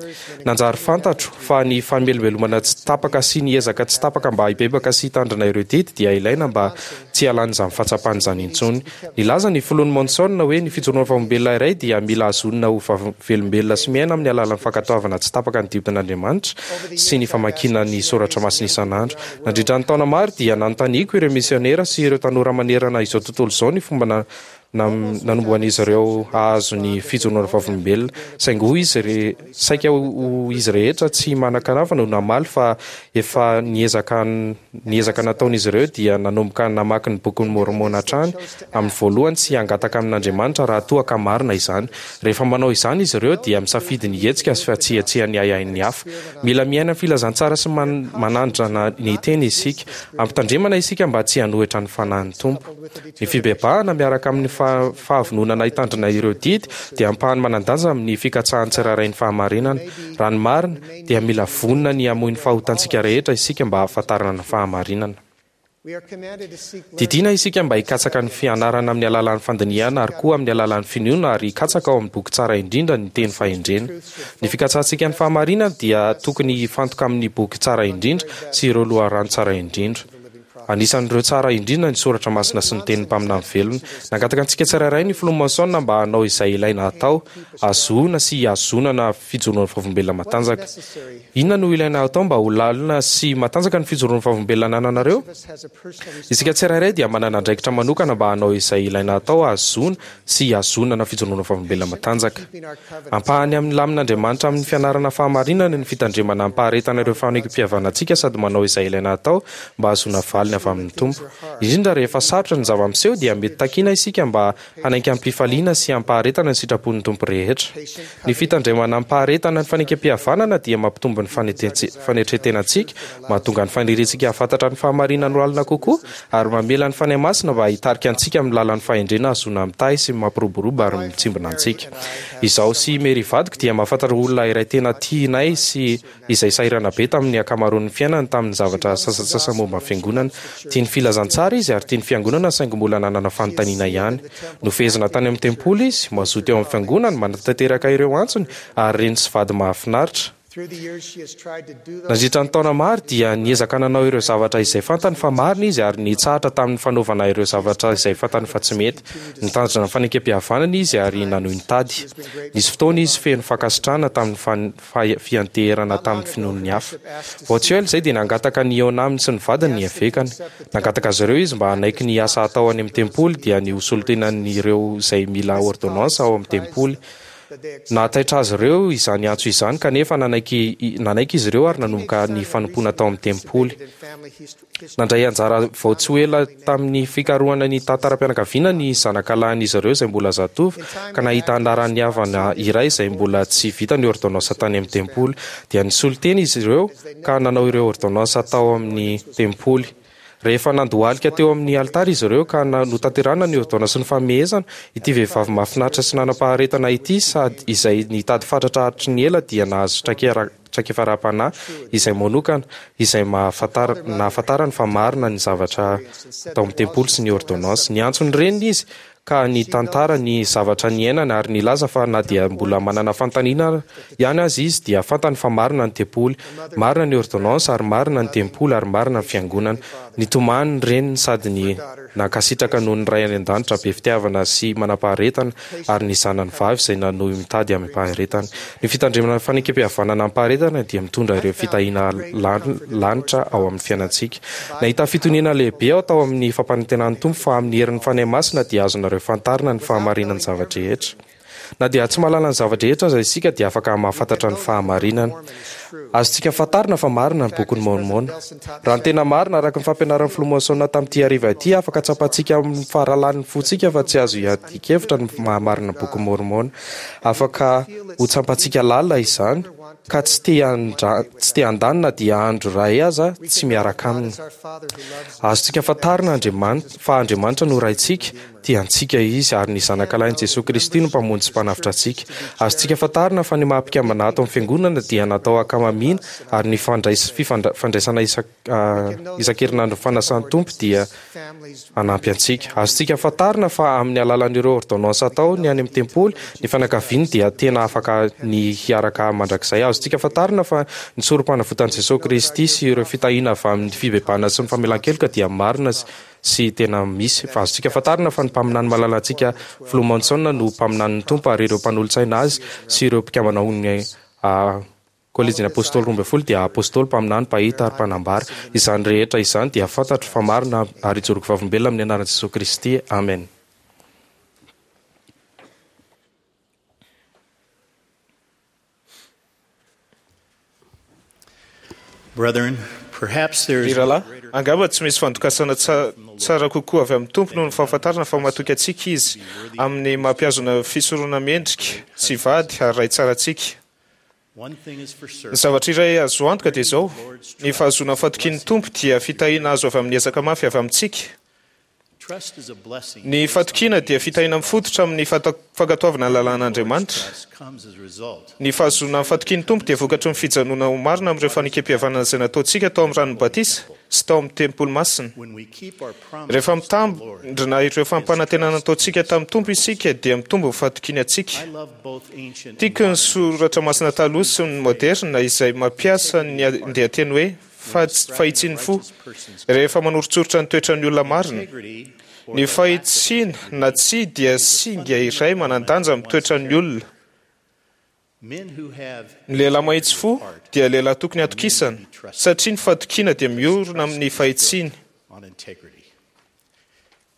Nanjary fantatro fa ny famelombelomana tsy tapaka sy ny ezaka tsy tapaka mba hibebaka sy hitandrina ireo didy dia ilaina mba tsy hialan'izany fahatsapana izany intsony. Nilaza ny filoha Monson hoe ny fijoroana vavolombelona iray dia mila hazonina ho velombelona sy miaina amin'ny alalan'ny fankatoavana tsy tapaka ny didin'Andriamanitra sy ny famakiana ny soratra masina isan'andro. Nandritra ny taona maro dia nanontaniako ireo misionera sy ireo tanora manerana izao tontolo izao ny fomba nanombohan'izy ireo hahazo ny fijoroana vavolombelona, saingy hoy izy re, saika ho izy rehetra tsy manan-kanava no namaly fa efa niezaka ny ezaka nataon'izy ireo dia nanomboka namaky ny bokin'i Môrmôna hatrany amin'ny voalohany sy hangataka amin'Andriamanitra raha toa ka marina izany. Rehefa manao izany izy ireo dia misafidy ny hihetsika sy fa tsy hihetsehan'ny ahiahin'ny hafa. Mila miaina ny filazantsara sy manandrana ny teny isika. Ampitandremana isika mba tsy hanohitra ny Fanahin'ny Tompo. Ny fibebahana miaraka amin'ny fahavononana hitandrina ireo didy dia ampahany manan-danja amin'ny fikatsahan'ny tsirairay ny fahamarinana. Raha ny marina, dia mila vonona ny hamoy ny fahotantsika rehetra isika mba hahafantarana ny fahamarinana. Didiana isika mba hikatsaka ny fianarana amin'ny alalan'ny fandinihana ary koa amin'ny alalan'ny finoana ary hikatsaka ao amin'ny boky tsara indrindra ny teny fahendrena. Ny fikatsahantsika ny fahamarinana dia tokony hifantoka amin'ny boky tsara indrindra sy ireo loharano tsara indrindra. Anisan'ireo tsara indrindra ny soratra masina sy ny tenin'ny mpaminany velona. Nangataka antsika tsirairay ny filoha Monson mba hanao izay ilaina hatao, hahazoana sy hihazonana fijoroana vavolombelona matanjaka. Inona no ilaina hatao mba ho lalina sy matanjaka ny fijoroana vavolombelona anananareo? Isika tsirairay dia manana andraikitra manokana mba hanao izay ilaina hatao hahazoana sy hihazonana fijoroana vavolombelona matanjaka. Ampahany amin'ny lamin'Andriamanitra amin'ny fianarana fahamarinana ny fitandremana amim-paharetana ireo fanekem-pihavanantsika sady manao izay ilaina hatao mba hahazoana valiny avy amin'ny Tompo. Indrindra rehefa sarotra ny zava-miseho dia mety takiana isika mba hanaiky amim-pifaliana sy amim-paharetana ny sitrapon'ny Tompo rehetra. Ny fitandremana amim-paharetana ny fanekem-pihavanana dia mampitombo ny fanetren-tenantsika, mahatonga ny faniriantsika hahafantatra ny fahamarinana ho lalina kokoa, ary mamela ny Fanahy Masina mba hitarika antsika amin'ny lalan'ny fahendrena hahazoana mitahy sy mampiroborobo ary mitsimbina antsika. Izaho sy i Mary vadiko dia mahafantatra olona iray tena tianay sy izay sahirana be tamin'ny ankamaroan'ny fiainany tamin'ny zavatra sasantsasany momba ny Fiangonana. Tia ny filazantsara izy ary tia ny Fiangonana saingy mbola nanana fanontaniana ihany. Nofehezina tany amin'ny tempoly izy, mazoto eo amin'ny Fiangonany, manatanteraka ireo antsony, ary reny sy vady mahafinaritra. Nandritra ny taona maro dia niezaka nanao ireo zavatra izay fantany fa marina izy ary nitsahatra tamin'ny fanaovana ireo zavatra izay fantany fa tsy mety. Nitandrina ny fanekempihavanana izy ary nanohy nitady. Nisy fotoana izy feno fankasitrahana tamin'ny fianteherana tamin'ny finoan'ny hafa. Vao tsy ela izay dia nangataka ny hihaona aminy sy ny vadiny ny evekany. Nangataka azy ireo izy mba hanaiky ny asa hatao any amin'ny tempoly, dia ny ho solontenan'ireo izay mila ôrdônansa ao amin'ny tempoly. Nahataitra azy ireo izany antso izany, kanefa nanaiky nanaiky izy ireo ary nanomboka ny fanompoana tao amin'ny tempoly. Nandray anjara vao tsy ho ela tamin'ny fikarohana ny tantaram-pianakaviana ny zanakalahin'izy ireo izay mbola zatovo, ka nahita anaran'ny havana iray izay mbola tsy vita ny ôrdônansa tany amin'ny tempoly. Dia nisolo tena izy ireo ka nanao ireo ôrdônansa tao amin'ny tempoly. Rehefa nandohalika teo amin'ny alitara izy ireo ka notanterahina ny ôrdônansy sy ny famehezana, ity vehivavy mahafinaritra sy nanam-paharetana ity sady izay nitady fatratra hatry ny ela dia nahazo traikefa ara-panahy izay manokana, izay nahafantarany fa marina ny zavatra tao amin'ny tempoly sy ny ôrdônansy. Niantso ny reniny izy ka nitantara ny zavatra niainany ary nilaza fa na dia mbola manana fanontaniana ihany aza izy dia fantany fa marina ny tempoly, marina ny ôrdônansy ary marina ny tempoly ary marina ny fiangonana. Nitomany ny reniny sady ny nankasitraka noho ny Ray any an-danitra be fitiavana sy manam-paharetana ary ny zanany vavy izay nanohy mitady amim-paharetana. Ny fitandremana ny fanekempihavanana amim-paharetana dia mitondra ireo fitahiana lanitra ao amin'ny fiainantsika. Nahita fitoniana lehibe aho tao amin'ny fampanantenan'ny Tompo fa amin'ny herin'ny Fanahy Masina dia azonareo fantarina ny fahamarinan'ny zava-drehetra. Na dia tsy mahalala ny zava-drehetra aza isika dia afaka mahafantatra ny fahamarinana. Azontsika fantarina fa marina ny bokin'i Môrmôna. Raha ny tena marina, araka ny fampianaran'ny Filoha Monson tamin'ity hariva ity, afaka tsapantsika amin'ny fahalalan'ny fontsika fa tsy azo iadian-kevitra ny maha-marina ny bokin'i Môrmôna. Afaka ho tsapantsika lalina izany, ka tsy te handra, tsy te handany na dia andro iray aza tsy miaraka aminy. Azontsika fantarina Andriamanitra, fa Andriamanitra no Raintsika, tia antsika Izy, ary ny Zanakalahin'i Jesoa Kristy no Mpamonjy sy Mpanavotra antsika. Azontsika fantarina fa ny maha-mpikambana ato amin'ny Fiangonana dia natao hankamamiana, ary ny fandrais, fifandra, fandraisana isan, isan-kerinandro ny fanasan'ny Tompo dia hanampy antsika. Azontsika fantarina fa amin'ny alalan'ireo ôrdônansy atao ny any amin'ny tempoly, ny fianakaviany dia tena afaka ny hiaraka mandrakizay. Azontsika fantarina fa ny sorompanavotan'i Jesoa Kristy sy ireo fitahiana avy amin'ny fibebahana sy ny famelan-keloka dia marina sy tena misy. Azontsika fantarina fa ny mpaminany malalantsika Filoha Monson no mpaminanin'ny Tompo ary ireo mpanolotsaina azy sy ireo mpikambana ao amin'ny Kolejin'ny Apôstôly roa ambin'ny folo dia apôstôly, mpaminany, mpahita ary mpanambara. Izany rehetra izany dia fantatro fa marina ary ijoroako vavolombelona amin'ny anaran'i Jesoa Kristy. Amen. Brethren, perhaps there Ry is rahalahy, angamba tsy misy fandokasana tsara kokoa avy amin'ny Tompo noho ny fahafantarana fa matoky antsika Izy amin'ny maha-mpihazona fisorona mendrika sy vady ary Ray tsara antsika. Ny zavatra iray azo antoka dia izao, ny fahazoana ny fatokian'ny Tompo dia fitahiana azo avy amin'ny ezaka mafy avy amintsika. Ny fatokiana dia fitahiana mifototra amin'ny fankatoavana ny lalàn'Andriamanitra. Ny fahazoana ny fatokian'ny Tompo dia vokatry ny fijanonana ho marina amin'ireo fanekempihavanana izay nataontsika tao amin'ny ranon'ny batisa sy tao amin'ny tempoly masina. Rehefa mitandrina ireo fampanantenana nataontsika tamin'ny Tompo isika dia mitombo ny fatokiany antsika. Tiako ny soratra masina taloha sy ny moderina izay mampiasa ny andian-teny hoe fahitsian'ny fo rehefa manoritsoritra ny toetran'ny olona marina. Ny fahitsiana na tsia dia singa iray manan-danja amin'ny toetran'ny olona. Ny lehilahy mahitsy fo dia lehilahy tokony hatokisana, satria ny fatokiana dia miorina amin'ny fahitsiany.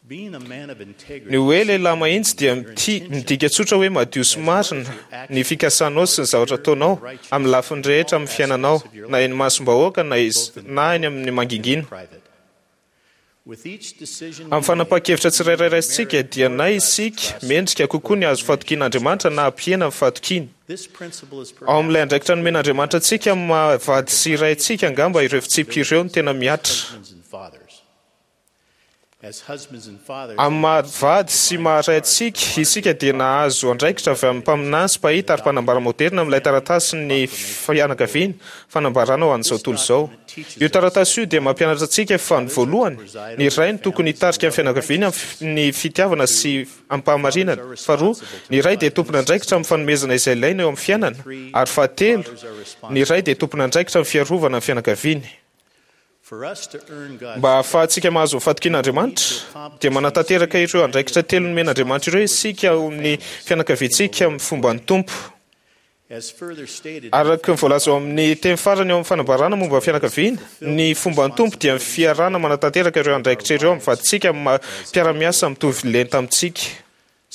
Ny hoe lehilahy mahitsy dia midika tsotra hoe madio sy marina ny fikasanao sy ny zavatra ataonao amin'ny lafiny rehetra amin'ny fiainanao, na eny imasom-bahoaka na eny amin'ny mangingina. Amin'ny fanapahan-kevitra tsirairay raisintsika dia na isika mendrika kokoa ny hahazo fahatokian'Andriamanitra na hampihena ny fahatokiany. Ao amin'ilay andraikitra nomen'Andriamanitra antsika amin'ny maha vady sy ray antsika angamba ireo fitsipika ireo no tena mihatra. Amin'ny maha vady sy maha ray antsika, isika dia nahazo andraikitra avy amin'ny mpaminany sy mpahita ary mpanambara moderina amin'ilay taratasin'ny fianakaviana, fanambarana ho an'izao tontolo izao. Io taratasy io dia mampianatra antsika fa ny voalohany, ny ray no tokony hitarika ny fianakaviany amin'ny fitiavana sy amim-pahamarinana, faharoa, ny ray dia tompon'andraikitra amin'ny fanomezana izay ilaina eo amin'ny fiainana, ary fahatelo, ny ray dia tompon'andraikitra amin'ny fiarovana ny fianakaviany. Mba hahafahantsika mahazo ny fatokian'Andriamanitra, dia manatanteraka ireo andraikitra telo nomen'Andriamanitra ireo isika ao amin'ny fianakaviantsika amin'ny fomban'ny Tompo. Araka ny voalaza ao amin'ny teny farany ao amin'ny fanambarana momba ny fianakaviana, ny fomban'ny Tompo dia ny fiarahana manatanteraka ireo andraikitra ireo amin'ny vadintsika amin'ny maha mpiara-miasa mitovy lenta amintsika.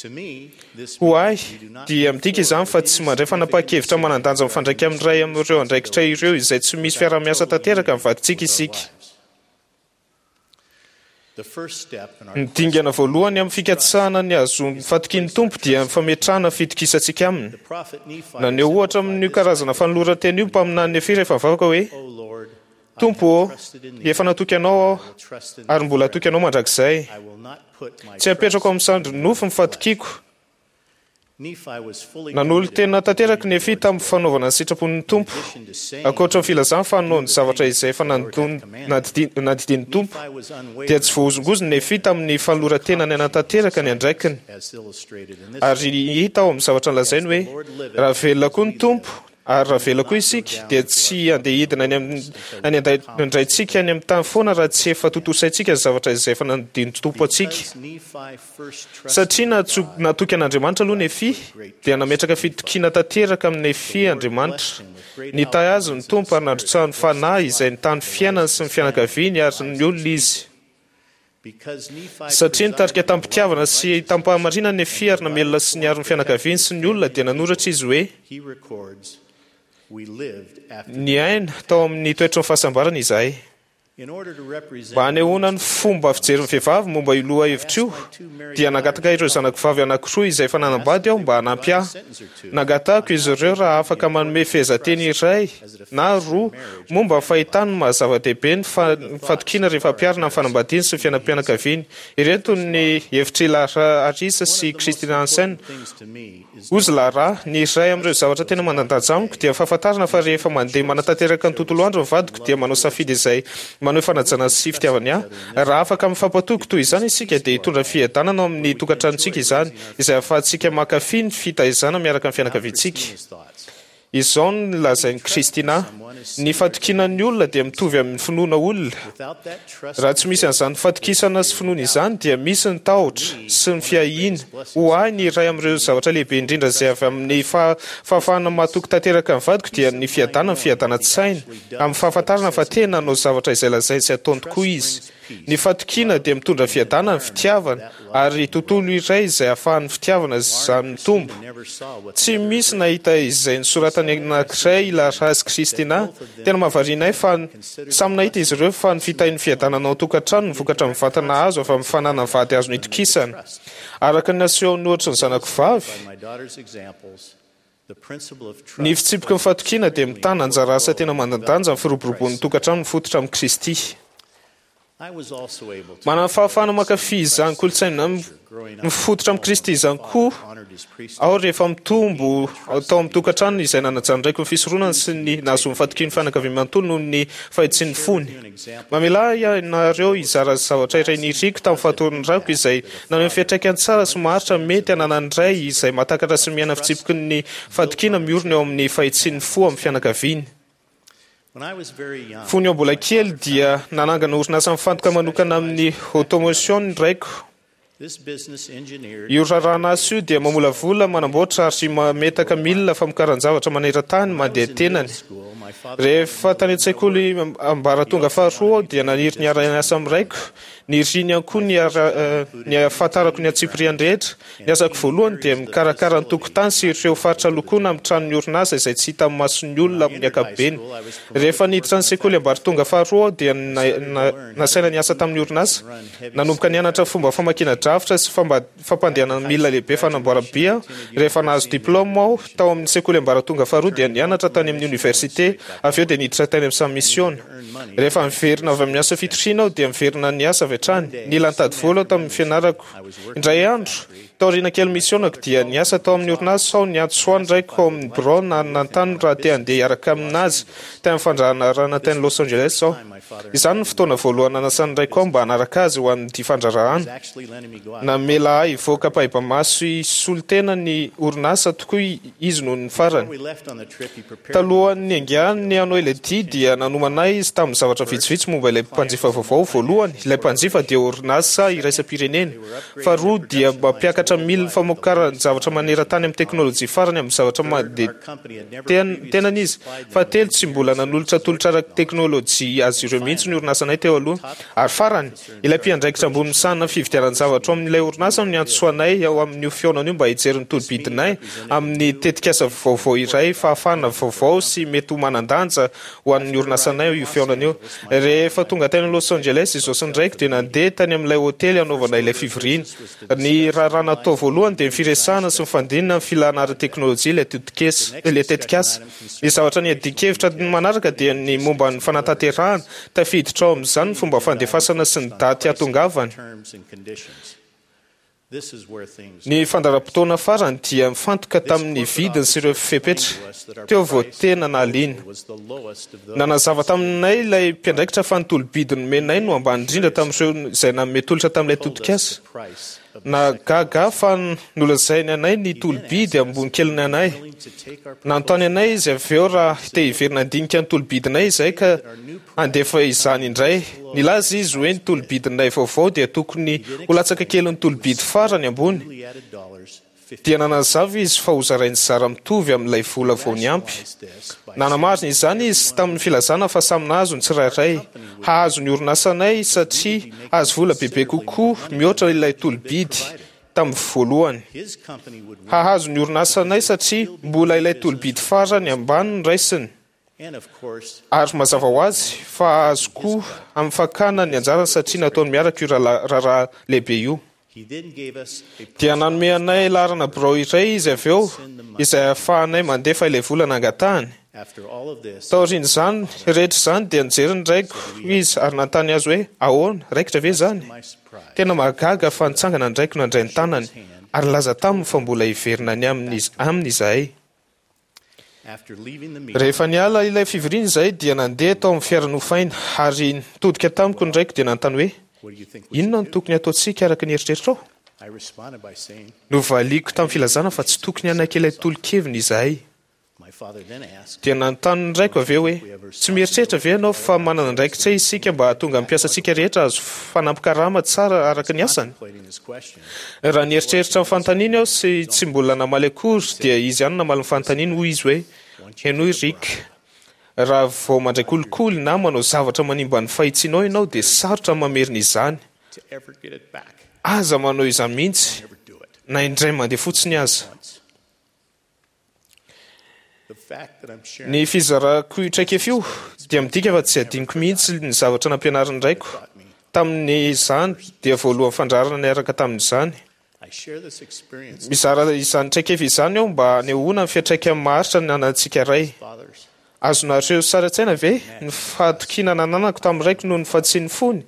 Ho ahy, dia midika izany fa tsy mandray fanapahan-kevitra manan-danja mifandraika amin'ny iray amin'ireo andraikitra ireo izay tsy misy fiaraha-miasa tanteraka amin'ny vadintsika isika. Ny dingana voalohany amin'ny fikatsahana ny hahazoan'ny fatokian'ny Tompo dia ny fametrahana ny fitokisantsika Aminy. Naneho ohatra amin'io karazana fanoloran-tena io ny mpaminany Nefia rehefa nivavaka hoe, Tompo ô, efa natoky anao aho ary mbola hatoky anao mandrakizay. Tsy apetrako amin'ny sandry nofo ny fahatokiako. Nanolo-tena tanteraka Nefia tamin'ny fanaovana ny sitrapon'ny Tompo. Ankoatra ny filazany fa hanao ny zavatra izay efa nandidian'ny Tompo, dia tsy voahozongozona Nefia tamin'ny fanoloran-tenany hanatanteraka ny andraikiny. Ary hita ao amin'ny zavatra nolazainy hoe, Raha velona koa ny Tompo, ary raha velona koa isika, dia tsy handeha hidina any amin'ny any an-dRaintsika any amin'ny tany foana raha tsy efa tontosaintsika ny zavatra izay efa nandidian'ny Tompo antsika. Satria natoky an'Andriamanitra aloha Nefia, dia nametraka fitokiana tanteraka amin'i Nefia Andriamanitra. Nitahy azy ny Tompo ary nandrotsahany fanahy izay nitahy ny fiainany sy ny fianakaviany ary ny olona izy. Satria nitarika tamim-pitiavana sy tamim-pahamarinana Nefia ary namelona sy niaro ny fianakaviany sy ny olona, dia nanoratra izy hoe, Niaina tao amin'ny toetry ny fahasambarana izahay. Mba hanehoana ny fomba fijerin'ny vehivavy momba io lohahevitra io, dia nangataka ireo zanako vavy anankiroa izay efa nanambady aho mba hanampy ahy. Nangatahako izy ireo raha afaka manome fehezanteny iray na roa momba ny fahitany ny maha-zava-dehibe ny fatokiana rehefa ampiharina amin'ny fanambadiany sy ny fiainam-pianakaviany. Ireto ny hevitr'i Lara Harris sy Christina Hansen. Hozy Lara, Ny iray amin'ireo zavatra tena manan-danja amiko dia ny fahafantarana fa rehefa mandeha manatanteraka ny tontolo andro ny vadiko dia manao safidy izay maneho fanajana sy fitiavany ahy. Raha afaka mifampatoky toy izany isika dia hitondra fiadanana ao amin'ny tokantranontsika izany, izay ahafahantsika mankafy ny fitaizana miaraka amin'ny fianakaviantsika. Izao no nolazain'i Christina, Ny fatokiana ny olona dia mitovy amin'ny finoana olona. Raha tsy misy an'izany fatokisana sy finoana izany dia misy ny tahotra sy ny fiahiana. Ho ahy, ny iray amin'ireo zavatra lehibe indrindra izay avy amin'ny fahafahana matoky tanteraka ny vadiko dia ny fiadanana, ny fiadanan-tsaina, amin'ny fahafantarana fa tena hanao zavatra izay lazainy sy ataony tokoa izy. Ny fatokiana dia mitondra fiadanana, fitiavana, ary tontolo iray izay ahafahan'ny fitiavana izany mitombo. Tsy misy nahita izay nosoratany anankiray i Lara sy Christina. Tena mahavariana ahy fa samy nahita izy ireo fa ny fitahian'ny fiadanana ao an-tokantrano no vokatra mivantana azo avy amin'ny fananana vady azo nitokisana. Araka ny nasehon'ny ohatry ny zanako vavy, ny fitsipiky ny fatokiana dia mitana anjara asa tena manan-danja amin'ny firoboroboan'ny tokantrano mifototra amin'i Kristy. Manana fahafahana mankafy izany kolontsaina mifototra amin'i Kristy izany koa aho rehefa mitombo tao amin'ny tokantrano izay nanajan'ny raiko ny fisoronany sy ny nahazoany fatokian'ny fianakaviany manontolo noho ny fahitsian'ny fony. Mamelà ahy ianareo hizara zavatra iray niriko tamin'ny fahatoran'ny raiko izay naneho ny fiantraikany tsara sy maharitra mety hananan'ny ray izay mahatakatra sy miaina fitsipiky ny fatokiana miorina eo amin'ny fahitsian'ny fo amin'ny fianakaviany. Fony aho mbola kely dia nanangana orinasa mifantoka manokana amin'ny automation ny raiko. Io raharahan'asa io dia mamolavola, manamboatra ary mametaka milina famokaran-javatra maneran-tany mandeha tenany. Rehefa tany an-tsekoly ambaratonga faharoa aho dia naniry ny hiara-niasa amin'ny raiko. Niriny ihany koa ny ny hahafantarako ny antsipiriany rehetra. Ny asako voalohany dia mikarakara ny tokotany sy ireo faritra lokoina amin'ny tranon'ny orinasa izay tsy hita amin'ny mason'ny olona amin'ny ankapobeny. Rehefa niditra ny sekoly ambaratonga faharoa aho dia nasaina niasa tamin'ny orinasa. Nanomboka nianatra fomba famakiana drafitra sy fampandehanana milina lehibe fanamboaram-by aho. Rehefa nahazo diplaoma aho tao amin'ny sekoly ambaratonga faharoa dia nianatra tany amin'ny oniversite, avy eo dia niditra tany amin'ny samy misiona. Rehefa niverina avy amin'ny asa fitoriana aho dia niverina niasa avy hatrany. Nila nitady vola aho tamin'ny fianarako. Indray andro, taoriana kely misionako dia niasa tao amin'ny orinasa aho niantso ahy ny raiko ao amin'ny birao nanontany raha te handeha hiaraka aminazy tany amin'ny fandraharahana tany Los Angeles aho. Izany no fotoana voalohany nanasan'ny raiko ahy mba hanaraka azy ho an'ity fandraharahana. Namela ahy hivoaka ampahibemaso hisolo tena ny orinasa tokoa izy noho ny farany. Talohan'ny niaingàny hanao ilay dia dia nanomana ahy izy tamin'ny zavatra vitsivitsy momba ilay mpanjifa vaovao. Voalohany, ilay mpanjifa dia orinasa iraisam-pirenena. Faharoa, dia mampiakatra milina famokaran-javatra maneran-tany amin'ny teknolojia farany amin'ny zavatra mandeha tenany izy. Fahatelo, tsy mbola nanolotra tolotra ara-teknolojia azy ireo mihitsy ny orinasanay teo aloha. Ary farany, Ilay mpiandraikitra ambony misahana ny fividianan-javatra ao amin'ilay orinasa no niantso anay ao amin'io fihaonana io mba hijery ny tolo-bidinay amin'ny tetikasa vaovao iray, fahafahana vaovao sy mety ho manan-danja ho an'ny orinasanay io fihaonana io. Rehefa tonga tany Los Angeles izaho sy ny raiko dia nandeha tany amin'ilay hotely hanaovana ilay fivoriana. Ny raharaha natao voalohany dia ny firesahana sy ny fandinina ny filana ara-teknôlôjia ilay tetikasa ilay tetikasa. Ny zavatra niadian-kevitra manaraka dia ny momba ny fanatanterahana, tafiditra ao amin'izany ny fomba fandefasana sy ny daty hahatongavany. Ny fandaharam-potoana farany dia mifantoka tamin'ny vidiny sy ireo fepetra. Teo vao tena nahaliana. Nanazava taminay ilay mpiandraikitra fa ny tolo-bidy nomenay no ambany indrindra tamin'ireo izay nanome tolotra tamin'ilay tetikasa. Nahagaga ahy fa nolazainy anay ny tolo-bidy ambony keliny anay. Nanontany anay izy avy eo raha te hiverina handinika ny tolo-bidinay izahay ka handefa izany indray. Nilaza izy hoe ny tolo-bidinay vaovao dia tokony ho latsaka kelin'ny tolo-bidy farany ambony. Dia nanazava izy fa hozarainy zara mitovy amin'ilay vola vao niampy. Nanamarina izany izy tamin'ny filazana fa samy nahazo ny tsirairay. Hahazo ny orinasanay satria hahazo vola bebe kokoa mihoatra ilay tolo-bidy tamin'ny voalohany. Hahazo ny orinasanay satria mbola ilay tolo-bidy farany ambany no raisiny. Ary mazava ho azy fa hahazo koa amin'ny fakana ny anjarany satria nataony miaraka io raharaha lehibe io. Dia nanome anay laharana birao iray izy avy eo izay ahafahanay mandefa ilay vola nangatahany. Taorian'izany rehetra izany dia nijery ny raiko izy ary nanontany azy hoe ahoana, raikitra ve izany? Tena mahagaga fa nitsangana ny raiko nandray ny tanany ary nilaza taminy fa mbola hiverina any aminy izahay. Rehefa niala ilay fivoriana izahay dia nandeha tao amin'ny fiara nofaina ary nitodika tamiko ny raiko dia nanontany hoe inona no tokony hataontsika araka ny eritreritrao? Novaliako tamin'ny filazana fa tsy tokony hanaiky ilay tolo-keviny izahay. Dia nanontany ny raiko avy eo hoe tsy mieritreritra ve ianao fa manana andraikitra isika mba hahatonga ny mpiasantsika rehetra hahazo fanampin-karama tsara araka ny asany? Raha nieritreritra ny fanontaniany aho sy tsy mbola namaly akory dia izy ihany namaly ny fanontaniany, hoy izy hoe henoy Rick, raha vao mandray kolikoly na manao zavatra manimba ny fahitsianao ianao dia sarotra ny mamerina izany. Aza manao izany mihitsy na indray mandeha fotsiny aza. Ny fizarako io traikefa io dia midika fa tsy adinoko mihitsy ny zavatra nampianarin'ny raiko. Tamin'izany dia voalohany fandrarana niaraka tamin'izany. Mizara izany traikefa izany aho mba hanehoana ny fiantraikany maharitra nanantsika ray. Azonareo sary an-tsaina ve ny fahatokiana nananako tamin'ny raiko noho ny fahatsian'ny fony?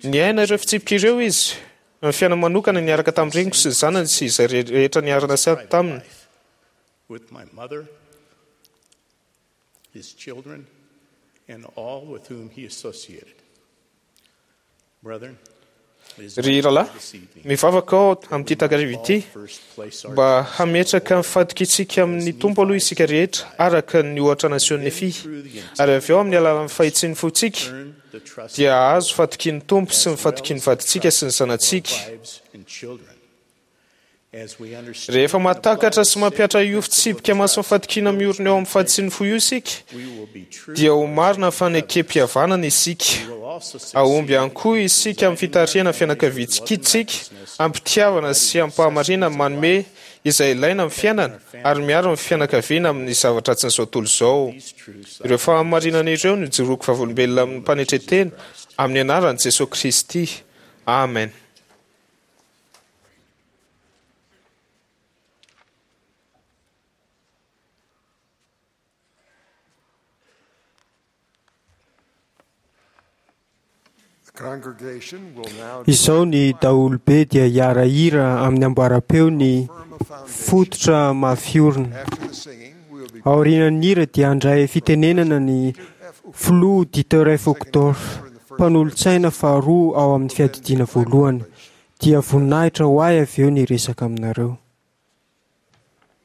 Niaina ireo fitsipika ireo izy, ny fiainany manokana niaraka tamin'ny reniko sy ny zanany sy izay rehetra niara-nasiady taminy. With my mother, his children, and all with whom he associated. Brethren, Ry rahalahy, mivavaka aho amin'ity takariva ity mba hametraka ny fahatokiantsika amin'ny Tompo aloha isika rehetra araka ny ohatra nasehon'i Nefia, ary avy eo amin'ny alalan'ny fahitsian'ny fontsika dia hahazo fahatokian'ny Tompo sy ny fahatokian'ny vadintsika sy ny zanatsika. Rehefa mahatakatra sy mampihatra io fitsipika masin'ny fahatokiana miorina eo amin'ny fahitsian'ny fo io isika, dia ho marina ny fanekem-pihavanana isika. Hahomby ihany koa isika amin'ny fitarihana ny fianakaviantsika am-pitiavana sy am-pahamarinana manome izay ilaina amin'ny fiainana ary miaro ny fianakaviana amin'ny zava-dratsin'izao tontolo izao. Ireo fahamarinana ireo no ijoroako vavolombelona amin'ny mpanetren-tena amin'ny anaran'i Jesoa Kristy. Amen. Izao ny daholobe dia hiara-hira amin'ny amboaram-peo ny fototra mafy orina. Aorian'ny hira dia handray fitenenana ny filoha Dieter F. Uchtdorf, mpanolotsaina faharoa ao amin'ny fiadidiana voalohany. Dia voninahitra ho ahy avy eo ny resaka aminareo. Is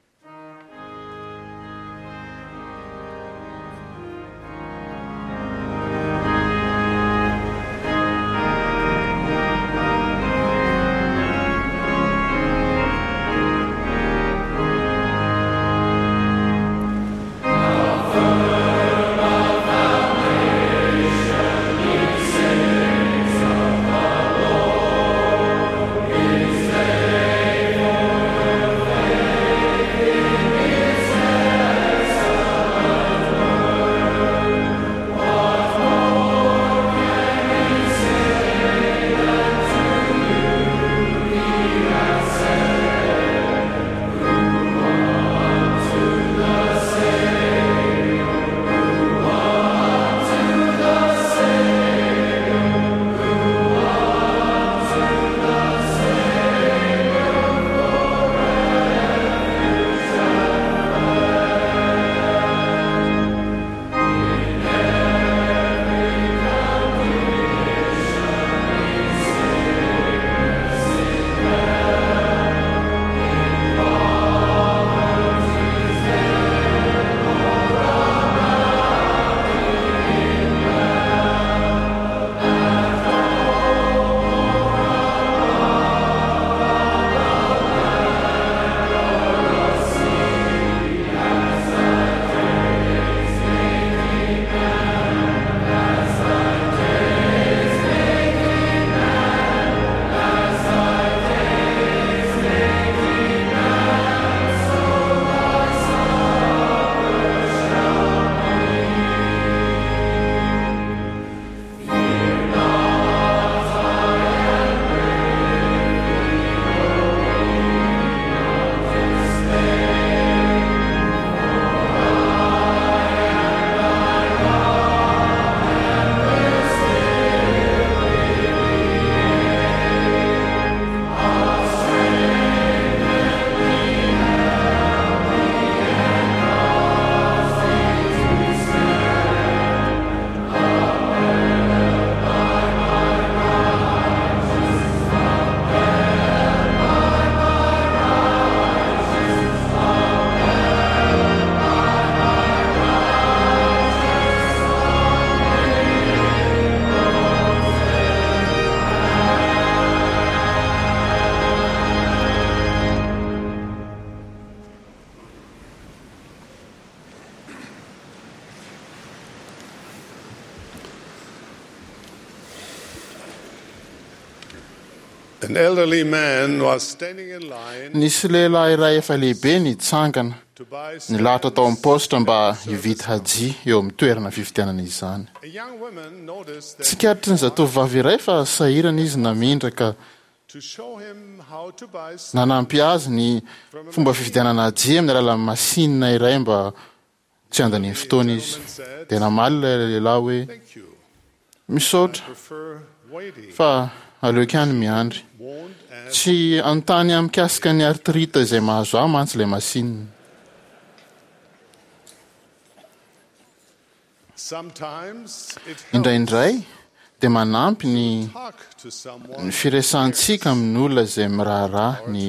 An elderly man was standing in line Nisy lehilahy iray efa lehibe nitsangana to buy nilahatra tao amin'ny paositra mba hividy hajia eo amin'ny toerana fividianana izany. A young woman noticed that Tsikaritry ny zatovovavy iray fa sahirana izy namindra ka to show him how to buy nanampy azy ny fomba fividianana hajia amin'ny alalan'ny masinina iray mba tsy handaniany fotoana izy. Dia namaly ilay lehilahy hoe Thank you. misaotra Prefer waiting. fa aleoko ihany miandry. Won't ask Tsy anontany ahy mikasika ny artrita izay mahazo ahy mantsy ilay masinina. Sometimes it helps Indraindray dia manampy ny talk to someone ny firesahantsika amin'ny olona izay miraharaha ny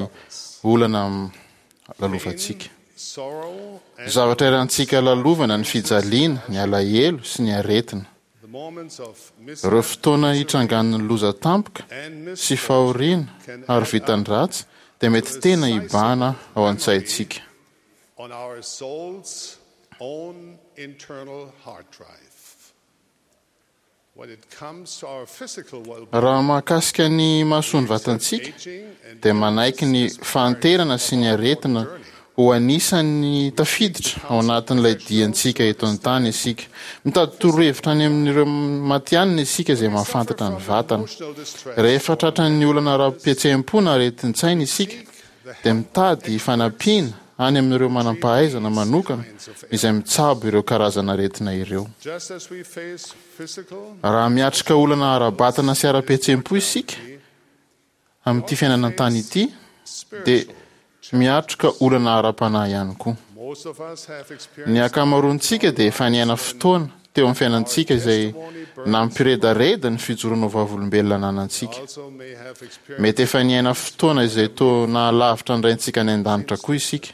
olana m- lalovantsika. sorrow and Zavatra irantsika lalovana ny fijaliana, ny alahelo sy ny aretina. the moments of Ireo fotoana hitrangan'ny loza tampoka and sy fahoriana ary vitan'ny ratsy dia mety tena hibahana ao an-tsaintsika. on our soul's own internal hard drive. When it comes to our physical well-being, Raha mahakasika ny mahasoa ny vatantsika aging and dia manaiky ny fahanterana sy ny aretina ho anisan'ny tafiditra ao anatin'ilay diantsika eto an-tany isika. Mitady torohevitra any amin'ireo matihanina isika izay mahafantatra ny vatana. emotional distress, Rehefa tratran'ny olana ara-pihetseham-po na aretin-tsaina isika dia mitady fanampiana any amin'ireo manam-pahaizana manokana izay mitsabo ireo karazana aretina ireo. just as we face physical Raha miatrika olana ara-batana sy ara-pihetseham-po isika amin'ity fiainana an-tany ity dia miatrika olana ara-panahy ihany koa. most of us have Ny experienced ankamaroantsika dia efa niaina fotoana teo amin'ny fiainantsika izay nampiredareda ny fijoroana ho vavolombelona ananantsika. also may have experienced Mety efa niaina fotoana izay toa nahalavitra ny raintsika any an-danitra koa isika.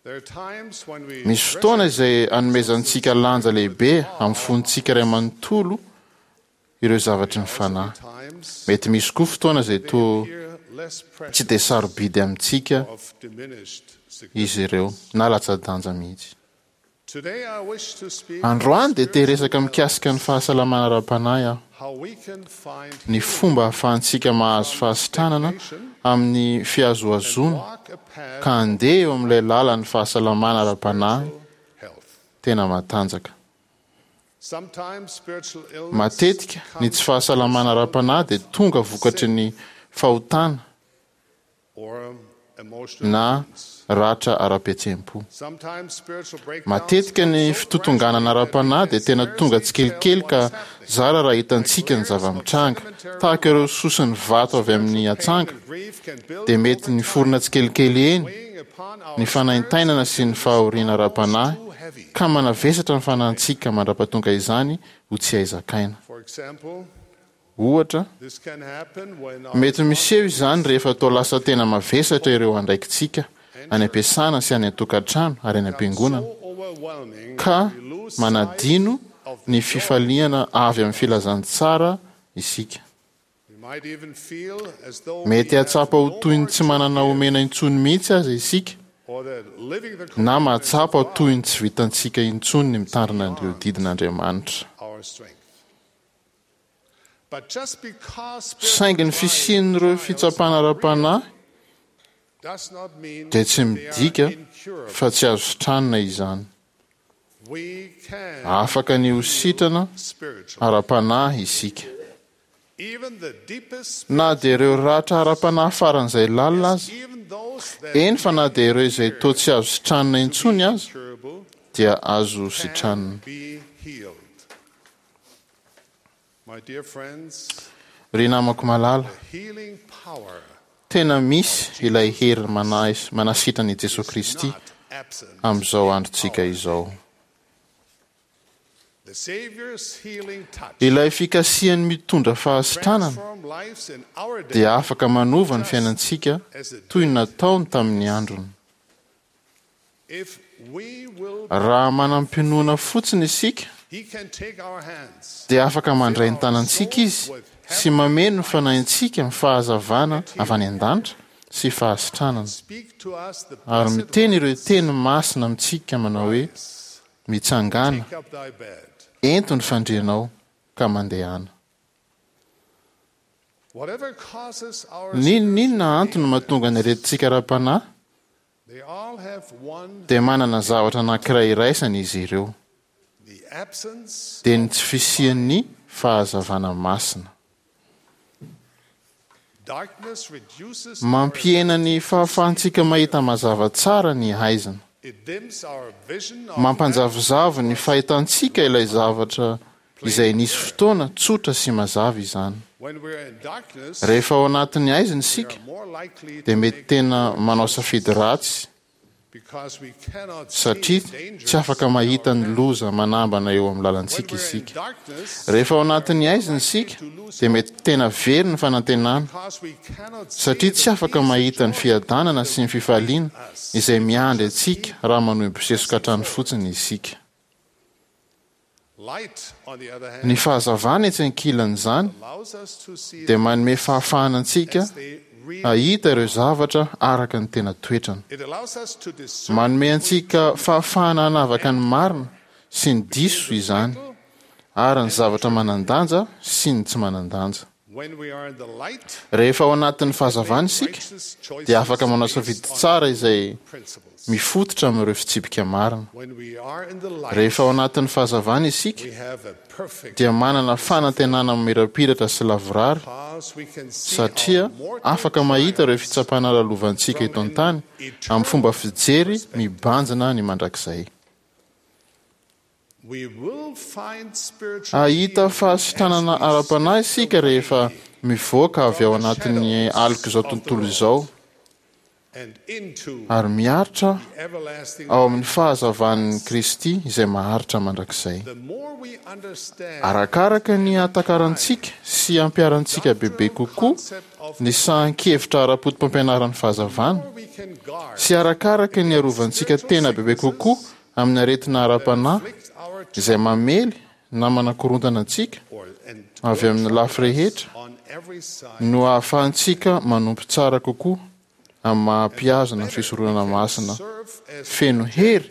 there are times when we Misy fotoana izay anomezantsika lanja lehibe amin'ny fontsika iray manontolo ireo zavatry ny fanahy. times Mety misy koa fotoana izay toa appear less tsy precious dia sarobidy amintsika of diminished significance. izy ireo na latsa-danja mihitsy. Today I wish to speak Androany dia te resaka mikasika ny fahasalamana ara-panahy aho. how we can find Ny fomba ahafahantsika mahazo fahasitranana amin'ny fihazohazoana walk a path ka handeha eo amin'ilay lalan'ny fahasalamana ara-panahy health. tena matanjaka. Sometimes spiritual illness Matetika ny tsy fahasalamana ara-panahy dia tonga vokatry ny fahotana or emotional na wounds. ratra ara-pihetseham-po. Sometimes spiritual breakdowns Matetika ny fitotonganana ara-panahy dia tena tonga tsikelikely ka zara raha hitantsika ny zava-mitranga. Tahaka ireo soson'ny vato avy amin'ny atsanga grief can build dia mety niforona tsikelikely eny weighing upon our ny fanaintainana sy ny fahoriana ara-panahy ka manavesatra ny fanahintsika mandra-pahatonga izany ho tsy hay zakaina. For example, Ohatra, this can happen when our mety miseho izany rehefa toa lasa tena mavesatra ireo andraikitsika any am-piasana sy any an-tokantrano ary any am-piangonana so overwhelming ka we lose manadino ny fifaliana avy amin'ny filazantsara isika. We might even feel as though Mety we have hahatsapa ho no toy ny more tsy manana omena intsony mihitsy aza isika or that living the na commandments mahatsapa ho of toy ny tsy vitantsika intsony ny mitandrina an'ireo didin'Andriamanitra. our strength. But just because Saingy ny spiritual fisian'ireo fitsapana ara-panahy does not mean dia tsy they are midika incurable. fa tsy azo sitranina izany. We can Afaka ny ho sitrana spiritually. ara-panahy isika. Even the deepest Na dia ireo ratra ara-panahy faran'izay lalina aza, even those that eny fa na dia ireo izay toa tsy azo sitranina intsony aza incurable dia azo sitranina. be healed. My dear friends, Ry namako malala, the healing power tena misy ilay hery manais- manasitrana i Jesoa Kristy not absent. amin'izao androntsika izao. The Savior's healing touch Ilay fikasihany mitondra fahasitranana transform lives in our day dia afaka manova ny fiainantsika toy ny nataony tamin'ny androny. if we will Raha manam-pinoana fotsiny isika He can take our hands dia afaka mandray ny tanantsika izy sy mameno ny fanahintsika amin'ny fahazavana avy any an-danitra sy fahasitranana. speak to us the Ary blessed miteny ireo teny masina amintsika manao hoe mitsangana, take up thy bed ento ny fandrianao ka mandehana. N'inon'inona antony mahatonga ny aretintsika ara-panahy, dia manana zavatra anankiray iraisana izy ireo, dia ny tsy fisian'ny fahazavana masina. Mampihena ny fahafahantsika mahita mazava tsara ny haizina. Mampanjavozavo ny fahitantsika ilay zavatra izay nisy fotoana tsotra sy mazava izany. Rehefa ao anatin'ny haizina isika, dia mety tena manao safidy ratsy satria tsy afaka mahita ny loza manambana eo amin'ny lalantsika isika. Rehefa ao anatin'ny haizina isika, dia mety tena very ny fanantenana satria tsy afaka mahita ny fiadanana sy ny fifaliana izay miandry antsika raha manohy mibosesoka hatrany fotsiny isika. Ny fahazavana etsy ankilan'izany dia manome fahafahana antsika hahita ireo zavatra araka ny tena toetrany. Manome antsika fahafahana hanavaka ny marina sy ny diso izany, ary ny zavatra manan-danja sy ny tsy manan-danja. Rehefa ao anatin'ny fahazavana isika, dia afaka manao safidy tsara izay mifototra amin'ireo fitsipika marina. Rehefa ao anatin'ny fahazavana isika, dia manana fanantenana mamirapiratra sy lavorary, satria afaka mahita ireo fitsapana lalovantsika eto an-tany amin'ny fomba fijery mibanjina ny mandrakizay. Hahita fahasitranana ara-panahy isika rehefa mivoaka avy ao anatin'ny alok'izao tontolo izao ary miaritra ao amin'ny fahazavan'i Kristy izay maharitra mandrakizay. Arakaraka ny hahatakarantsika sy hampiharantsika bebe kokoa ny sahan-kevitra ara-potopampianaran'ny fahazavana, sy arakaraka ny harovantsika tena bebe kokoa amin'ny aretina ara-panahy izay mamely na manakorontana antsika avy amin'ny lafy rehetra, no ahafahantsika manompo tsara kokoa amin'ny maha-mpihazona ny fisoronana masina feno hery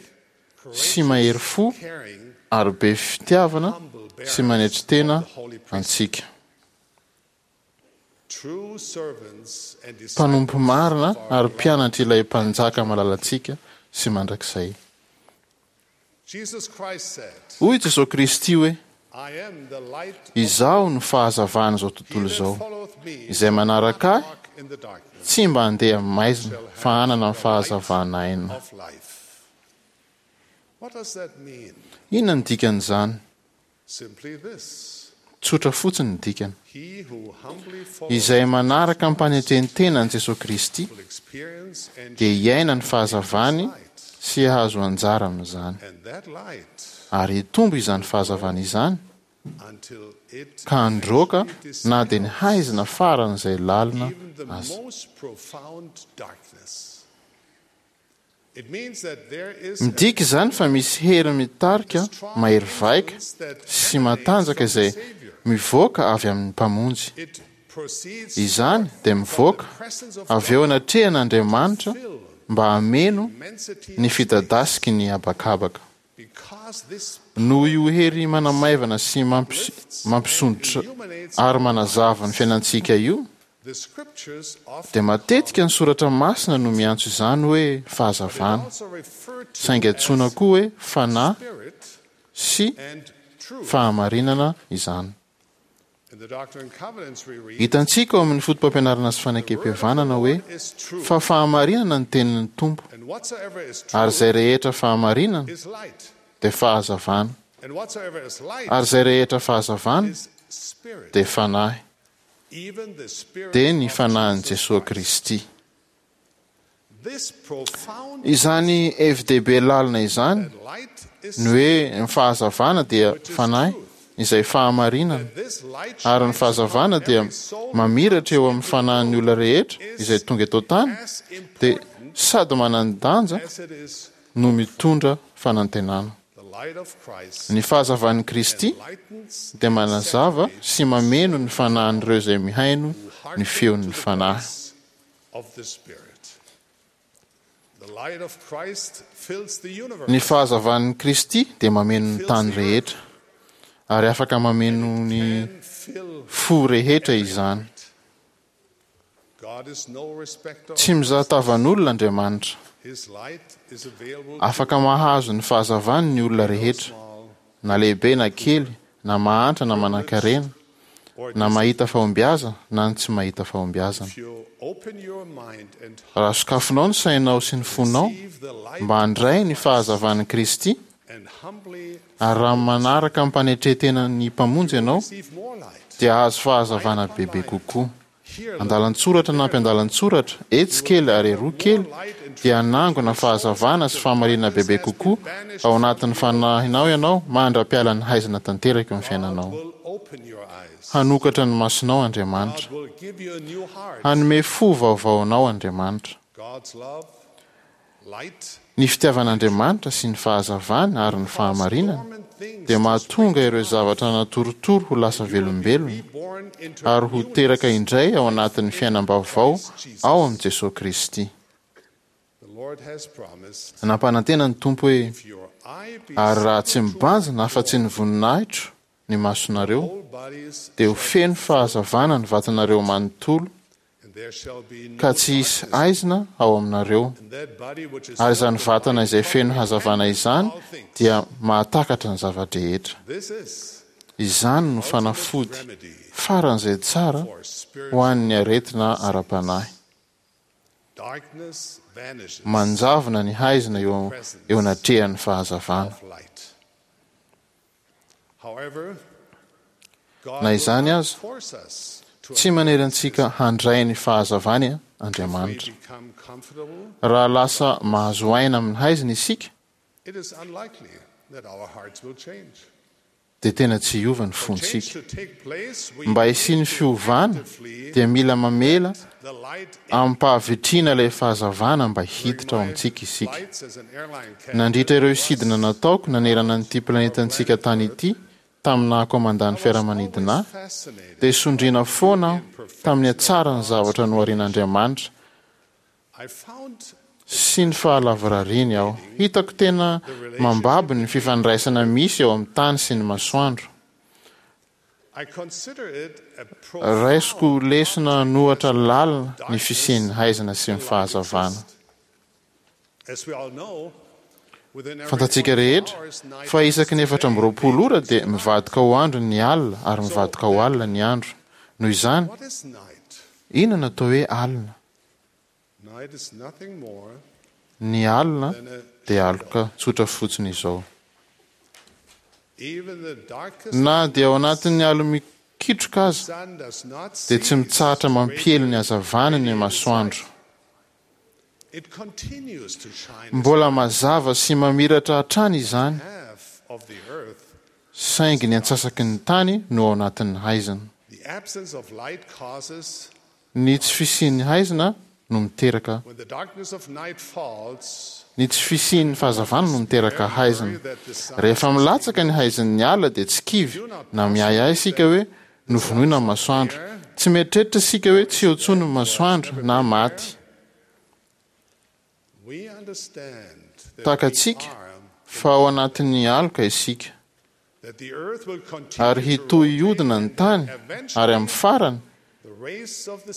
sy mahery fo ary be fitiavana sy manetry tena antsika. Mpanompo marina ary mpianatr'ilay Mpanjaka malalantsika sy mandrakizay. Hoy Jesoa Kristy hoe, Izaho no fahazavan'izao tontolo izao. Izay manaraka Ahy tsy mba handeha amin'ny maizina fa hanana ny fahazavana aina. Inona no dikan'izany? Tsotra fotsiny ny dikany. Izay manaraka am-panetren-tena an'i Jesoa Kristy dia hiaina ny fahazavany sy hahazo anjara amin'izany. Ary hitombo izany fahazavana izany ka handroaka na dia ny haizina faran'izay lalina aza. Midika izany fa misy hery mitarika mahery vaika sy matanjaka izay mivoaka avy amin'ny Mpamonjy. Izany dia mivoaka avy eo anatrehan'Andriamanitra mba hameno ny fidadasiky ny habakabaka. Noho io hery manamaivana sy mampisondrotra ary manazava ny fiainantsika io, dia matetika ny Soratra Masina no miantso izany hoe fahazavana, saingy antsoina koa hoe fanahy sy fahamarinana izany. Hitantsika ao amin'ny Fotopampianarana sy Fanekempihavanana hoe fa fahamarinana ny tenin'ny Tompo, ary izay rehetra fahamarinana dia fahazavana, ary izay rehetra fahazavana dia fanahy. dia ny Fanahin'i Jesoa Kristy. Izany hevi-dehibe lalina izany, ny hoe ny fahazavana dia Fanahy, izay fahamarinana, ary ny fahazavana dia mamiratra eo amin'ny fanahin'ny olona rehetra izay tonga eto an-tany, dia sady manan-danja no mitondra fanantenana. Ny fahazavan'i Kristy dia manazava sy mameno ny fanahin'ireo izay mihaino ny feon'ny Fanahy. Ny fahazavan'i Kristy dia mameno ny tany rehetra, ary afaka mameno ny fo rehetra izany. Tsy mizaha tavan'olona Andriamanitra. Afaka mahazo ny fahazavany ny olona rehetra, na lehibe na kely, na mahantra na manankarena, na mahita fahombiazana na ny tsy mahita fahombiazana. Raha sokafinao ny sainao sy ny fonao mba handray ny fahazavan'i Kristy, ary raha manaraka amim-panetren-tena ny Mpamonjy ianao, dia hahazo fahazavana bebe kokoa. Andalan-tsoratra na ampiandalan-tsoratra, etsy kely ary eroa kely, dia hanangona fahazavana sy fahamarinana bebe kokoa ao anatin'ny fanahinao ianao mandra-pialan'ny haizina tanteraka eo amin'ny fiainanao. Hanokatra ny masonao Andriamanitra. Hanome fo vaovao anao Andriamanitra. Ny fitiavan'Andriamanitra sy ny fahazavany ary ny fahamarinany dia mahatonga ireo zavatra natoritory ho lasa velombelona ary ho teraka indray ao anatin'ny fiainam-baovao ao amin'i Jesoa Kristy. Nampanantena ny Tompo hoe, Ary raha tsy mibanjina afa-tsy ny voninahitro ny masonareo, dia ho feno fahazavana ny vatanareo manontolo, ka tsy hisy haizina ao aminareo, ary izany vatana izay feno hazavana izany dia mahatakatra ny zava-drehetra. Izany no fanafody faran'izay tsara ho an'ny aretina ara-panahy. Manjavona ny haizina eo eo anatrehan'ny fahazavana. Na izany aza, tsy manery antsika handray ny fahazavany Andriamanitra. Raha lasa mahazo aina amin'ny haizina isika, dia tena tsy hiova ny fontsika. Mba hisian'ny fiovana, dia mila mamela amim-pahavitrihana ilay fahazavana mba hiditra ao amintsika isika. Nandritra ireo sidina nataoko nanerana an'ity planetantsika tany ity tamin'ny naha-komandan'ny fiaramanidina ahy, dia sondriana foana aho tamin'ny hatsaran'ny zavatra noharian'Andriamanitra sy ny fahalavorariany aho. Hitako tena mambabo ny fifandraisana misy eo amin'ny tany sy ny masoandro. Raisiko ho lesona an'ohatra lalina ny fisian'ny haizina sy ny fahazavana. Fantatsika rehetra fa isaky ny efatra amby roapolo ora dia mivadika ho andro ny alina ary mivadika ho alina ny andro. Noho izany, inona no atao hoe alina? Ny alina dia aloka tsotra fotsiny izao. Na dia ao anatin'ny alo-mikitroka aza, dia tsy mitsahatra mampiely ny hazavany ny masoandro. Mbola mazava sy mamiratra hatrany izany, saingy ny antsasaky ny tany no ao anatin'ny haizina. Ny tsy fisian'ny haizina no miteraka Ny tsy fisian'ny fahazavana no miteraka haizina. Rehefa milatsaka ny haizin'ny ala dia tsy kivy na miahiahy isika hoe novonoina ny masoandro. Tsy mieritreritra isika hoe tsy eo intsony ny masoandro na maty. Takatsika fa ao anatin'ny aloka isika. Ary hitohy hihodina ny tany, ary amin'ny farany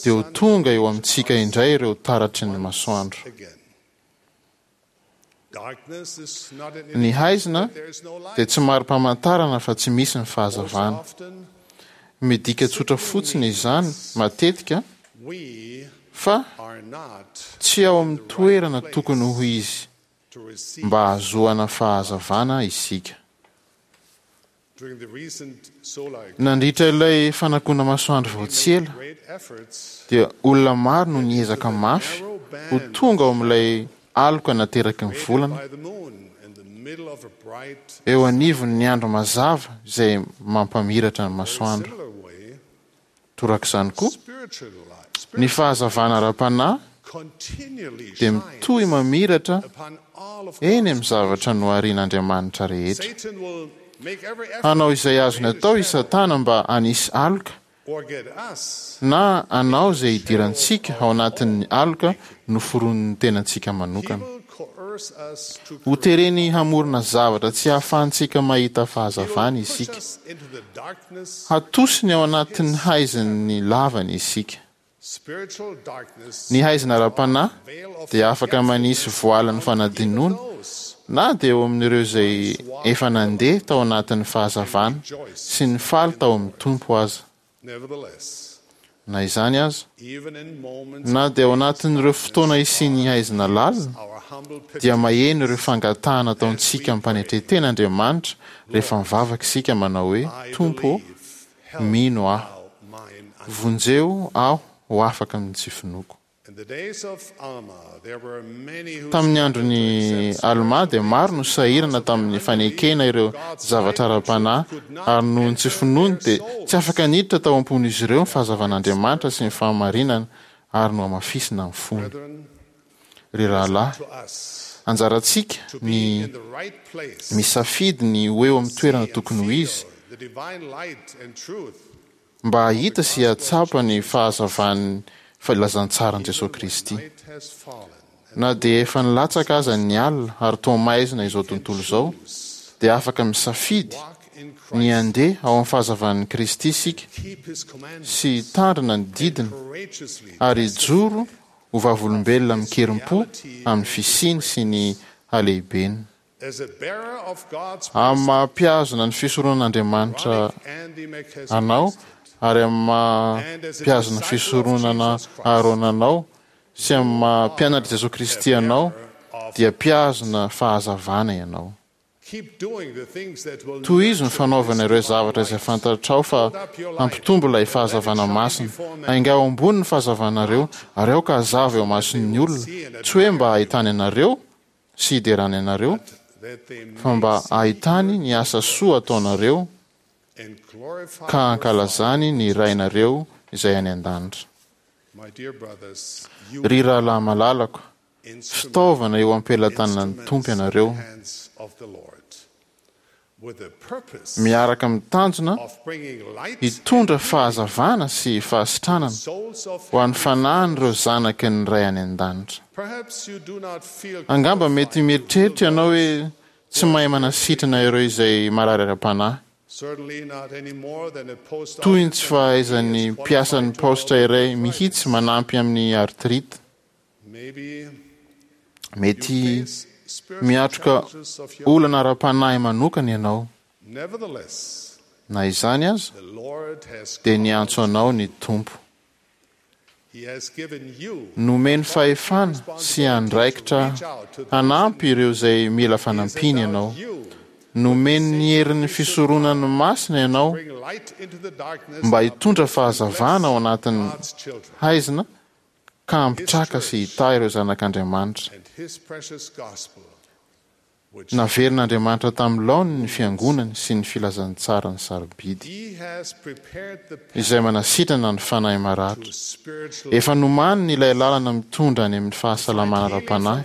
dia ho tonga eo amintsika indray ireo taratry ny masoandro. Ny haizina dia tsy mari-pamantarana fa tsy misy ny fahazavana. Midika tsotra fotsiny izany matetika fa tsy ao amin'ny toerana tokony ho izy mba hahazoana fahazavana isika. Nandritra ilay fanakona-masoandro vao tsy ela, dia olona maro no niezaka mafy ho tonga ao amin'ilay aloka nateraky ny volana, eo anivon'ny andro mazava izay mampamiratra ny masoandro. Torak'izany koa, ny fahazavana ara-panahy dia mitohy mamiratra eny amin'ny zavatra noharian'Andriamanitra rehetra. Hanao izay azony atao i Satana mba hanisy aloka na hanao izay hidirantsika ao anatin'ny aloka noforonin'ny tenantsika manokana. Hotereny hamorona zavatra tsy ahafahantsika mahita fahazavana isika. Hatosiny ao anatin'ny haizin'ny lavany isika. Ny haizina ara-panahy dia afaka manisy voalin'ny fanadinoana na dia eo amin'ireo izay efa nandeha tao anatin'ny fahazavana sy nifaly tao amin'ny Tompo aza. Na izany aza, na dia ao anatin'ireo fotoana isian'ny haizina lalina, dia maheno ireo fangatahana ataontsika amim-panetren-tena Andriamanitra rehefa mivavaka isika manao hoe, Tompo ô, mino aho. Vonjeo aho ho afaka amin'ny tsy finoako. Tamin'ny andron'i Almà dia maro no sahirana tamin'ny fanekena ireo zavatra ara-panahy, ary noho ny tsy finoany dia tsy afaka niditra tao am-pon'izy ireo ny fahazavan'Andriamanitra sy ny fahamarinana ary nohamafisina ny fony. Ry rahalahy, anjarantsika ny misafidy ny ho eo amin'ny toerana tokony ho izy, mba hahita sy hahatsapa ny fahazavan'ny filazantsaran'i Jesoa Kristy. Na dia efa nilatsaka aza ny alina ary toa maizina izao tontolo izao, dia afaka misafidy ny handeha ao amin'ny fahazavan'i Kristy isika sy hitandrina ny didiny ary hijoro ho vavolombelona amin-kerim-po amin'ny fisiany sy ny halehibeny. Amin'ny maha-mpihazona ny fisoronan'Andriamanitra anao ary amin'ny maha-mpihazona ny fisoronana Aharôna anao sy amin'ny maha-mpianatr'i Jesoa Kristy anao dia mpihazona fahazavana ianao. Tohizo ny fanaovana ireo zavatra izay fantatrao fa hampitombo ilay fahazavana masina. Aingao ambony ny fahazavanareo ary aoka hazava eo imason'ny olona, tsy hoe mba hahitany anareo sy hiderany anareo, fa mba hahitany ny asa soa ataonareo ka hankalazany ny Rainareo izay any an-danitra. Ry rahalahy malalako, fitaovana eo am-pelatanan'ny Tompo ianareo. Miaraka amin'ny tanjona hitondra fahazavana sy fahasitranana ho an'ny fanahin'ireo zanaky ny Ray any An-danitra. Angamba mety mieritreritra ianao hoe tsy mahay manasitrana ireo izay marary ara-panahy. Toy ny tsy fahaizan'ny mpiasan'ny paositra iray mihitsy manampy amin'ny arthrite. Mety miatrika olana ara-panahy manokana ianao. Na izany aza, dia niantso anao ny Tompo. Nomeny fahefana sy andraikitra hanampy ireo izay mila fanampiana ianao. Nomeny ny herin'ny fisoronany masina ianao mba hitondra fahazavana ao anatin'ny haizina ka hampitraka sy hitahy ireo zanak'Andriamanitra. Naverin'Andriamanitra tamin'ny laoniny ny Fiangonany sy ny filazantsarany sarobidy, izay manasitrana ny fanahy maratra. Efa nomaniny ilay lalana mitondra any amin'ny fahasalamana ara-panahy,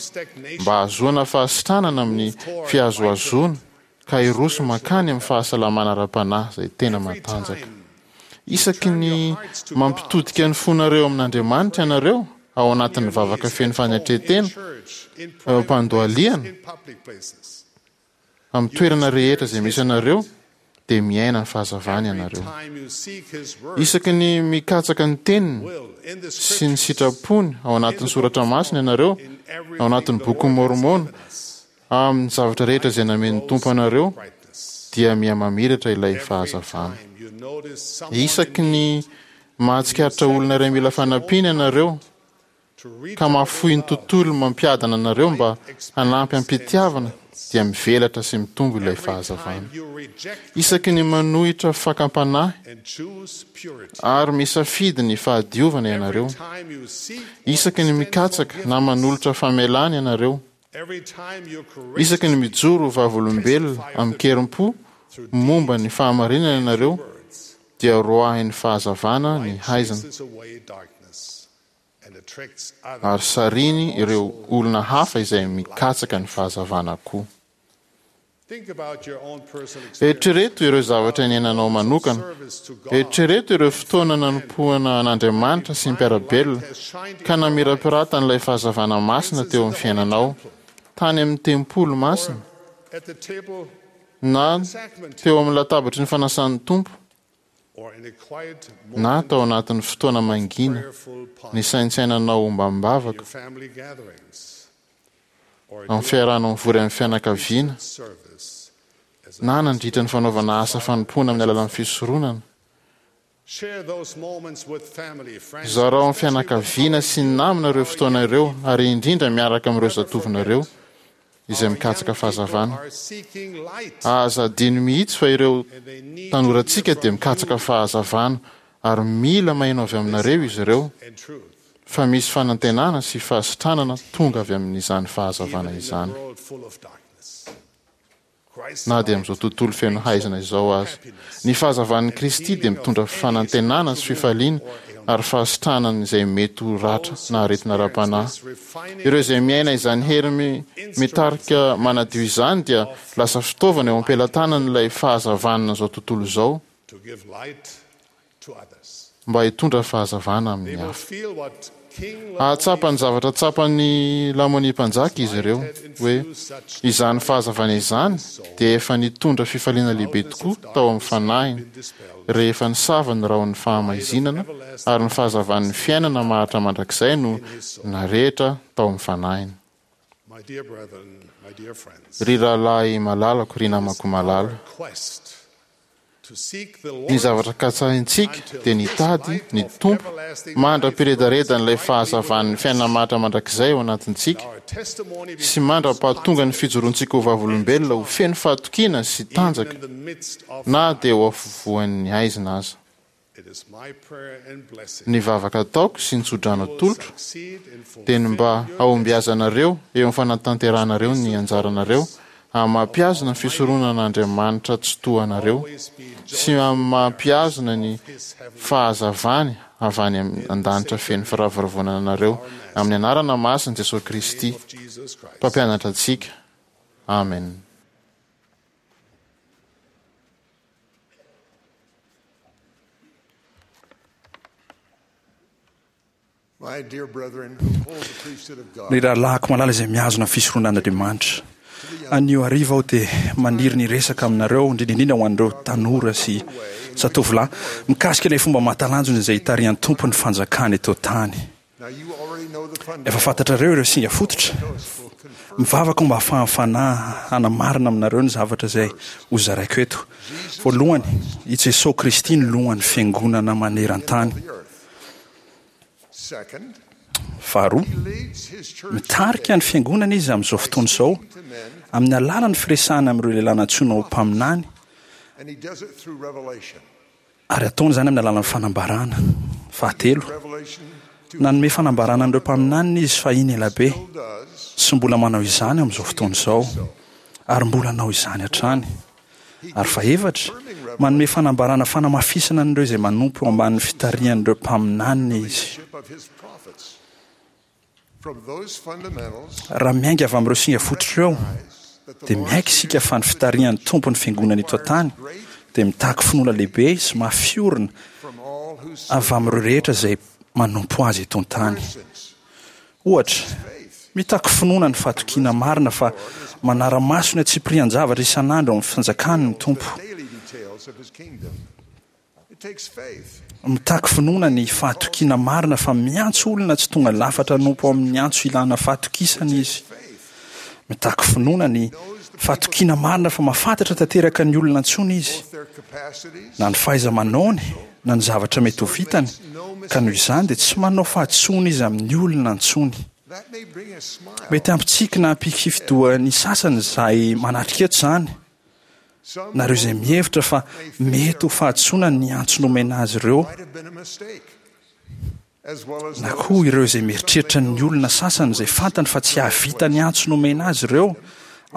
mba hahazoana fahasitranana amin'ny fihazohazoana ka hiroso mankany amin'ny fahasalamana ara-panahy izay tena matanjaka. Isaky ny mampitodika ny fonareo amin'Andriamanitra ianareo ao anatin'ny vavaka feno fanetren-tena, eo am-pandohalihana, amin'ny toerana rehetra izay misy anareo, dia miaina ny fahazavany ianareo. Isaky ny mikatsaka ny Teniny sy ny sitrapony ao anatin'ny Soratra Masina ianareo, ao anatin'ny Bokin'i Môrmôna, Amin'ny zavatra rehetra izay namen'ny Tompo anareo, dia mihamamiratra ilay fahazavana. Isaky ny mahatsikaritra olona iray mila fanampiana ianareo, ka mahafoy ny tontolo mampiadana anareo mba hanampy am-pitiavana, dia mivelatra sy mitombo ilay fahazavana. Isaky ny manohitra fakam-panahy ary misafidy ny fahadiovana ianareo, isaky ny mikatsaka na manolotra famelana ianareo, Isaky ny mijoro ho vavolombelona amin-kerim-po momba ny fahamarinana ianareo, dia roahin'ny fahazavana ny haizina, ary sarihiny ireo olona hafa izay mikatsaka ny fahazavana koa. Eritrereto ireo zavatra niainanao manokana. Eritrereto ireo fotoana nanompoana an'Andriamanitra sy ny mpiara-belona, ka namirapiratan'ilay fahazavana masina teo amin'ny fiainanao, tany amin'ny tempoly masina, na teo amin'ny latabatry ny fanasan'ny Tompo, na tao anatin'ny fotoana mangina nisaintsainanao ombam-bavaka, amin'ny fiarahanao mivory amin'ny fianakaviana, na nandritra ny fanaovana asa fanompoana amin'ny alalan'ny fisoronana. Zarao amin'ny fianakaviana sy ny namana ireo fotoana ireo, ary indrindra miaraka amin'ireo zatovonareo izay mikatsaka fahazavana. Aza adino mihitsy fa ireo tanorantsika dia mikatsaka fahazavana, ary mila maheno avy aminareo izy ireo fa misy fanantenana sy fahasitranana tonga avy amin'izany fahazavana izany, na dia amin'izao tontolo feno haizina izao aza. Ny fahazavan'i Kristy dia mitondra fanantenana sy fifaliana ary fahasitranana izay mety ho ratra na aretina ara-panahy. Ireo izay miaina izany hery mitarika manadio izany dia lasa fitaovana eo am-pelatanan'ilay fahazavanana izao tontolo izao mba hitondra fahazavana amin'ny hafa. Hahatsapa ny zavatra tsapan'i Lamoni mpanjaka izy ireo, hoe izany fahazavana izany dia efa nitondra fifaliana lehibe tokoa tao amin'ny fanahiny rehefa nisava ny rahon'ny fahamaizinana ary ny fahazavan'ny fiainana maharitra mandrakizay no narehitra tao amin'ny fanahiny. Ry rahalahy malalako, ry namako malala, ny zavatra katsahintsika dia nitady ny Tompo mandra-piredaredan'ilay fahazavan'ny fiainana maharitra mandrakizay ao anatintsika sy mandra-pahatonga ny fijoroantsika ho vavolombelona ho feno fahatokiana sy tanjaka na dia ho afovoan'ny haizina aza. Ny vavaka ataoko sy ny tsodrano atolotro dia ny mba hahombiazanareo eo amin'ny fanatanteranareo ny anjaranareo amin'ny maha-mpihazona ny fisoronan'Andriamanitra tsy toa anareo sy amin'ny maha-mpihazona ny fahazavany avy any an-danitra feno firavoravoana anareo amin'ny anarana masin'i Jesosy Kristy Mpampianatra antsika. Amen. Ry rahalahiko malala izay mihazona ny fisoronan'Andriamanitra, anio hariva aho dia maniry ny hiresaka aminareo, indrindra indrindra ho an'ireo tanora sy zatovolahy, mikasika ilay fomba mahatalanjona izay itarihan'ny Tompo ny fanjakany eto an-tany. Efa fantatrareo ireo singa fototra. Mivavaka aho mba hahafahan'ny Fanahy hanamarina aminareo ny zavatra izay hozaraiko eto. Voalohany, i Jesoa Kristy no lohan'ny Fiangonana maneran-tany. Faharoa, mitarika ny Fiangonana Izy amin'izao fotoana izao amin'ny alalan'ny firesahana amin'ireo lehilahy nantsoina ho mpaminany, ary ataony izany amin'ny alalan'ny fanambarana. Fahatelo, nanome fanambarana an'ireo mpaminaniny Izy fahiny elabe, sy mbola manao izany amin'izao fotoana izao, ary mbola hanao izany hatrany. Ary fahefatra, manome fanambarana fanamafisana an'ireo izay manompo eo ambanin'ny fitarihan'ireo mpaminaniny izy. Raha miainga avy amin'ireo singa fototra ireo, dia miaiky isika fa ny fitarihan'ny Tompo ny Fiangonana eto an-tany dia mitaky finoana lehibe sy mafy orina avy amin'ireo rehetra izay manompo Azy eto an-tany. Ohatra, mitaky finoana ny fahatokiana marina fa manara-maso ny antsipirian-javatra isan'andro ao amin'ny fanjakany ny Tompo. Mitaky finoana ny fahatokiana marina fa miantso olona tsy tonga lafatra hanompo ao amin'ny antso ilana fahatokisana Izy. Mitaky finoana ny fahatokiana marina fa mahafantatra tanteraka ny olona antsoiny Izy, na ny fahaiza-manaony na ny zavatra mety ho vitany, ka noho izany dia tsy manao fahadisoana Izy amin'ny olona antsoiny. Mety hampitsiky na hampikifi-doha ny sasany izay manatrika eto izany, na ireo izay mihevitra fa mety ho fahadisoana ny antso nomena azy ireo, na koa ireo izay mieritreritra ny olona sasany izay fantany fa tsy hahavita ny antso nomena azy ireo ao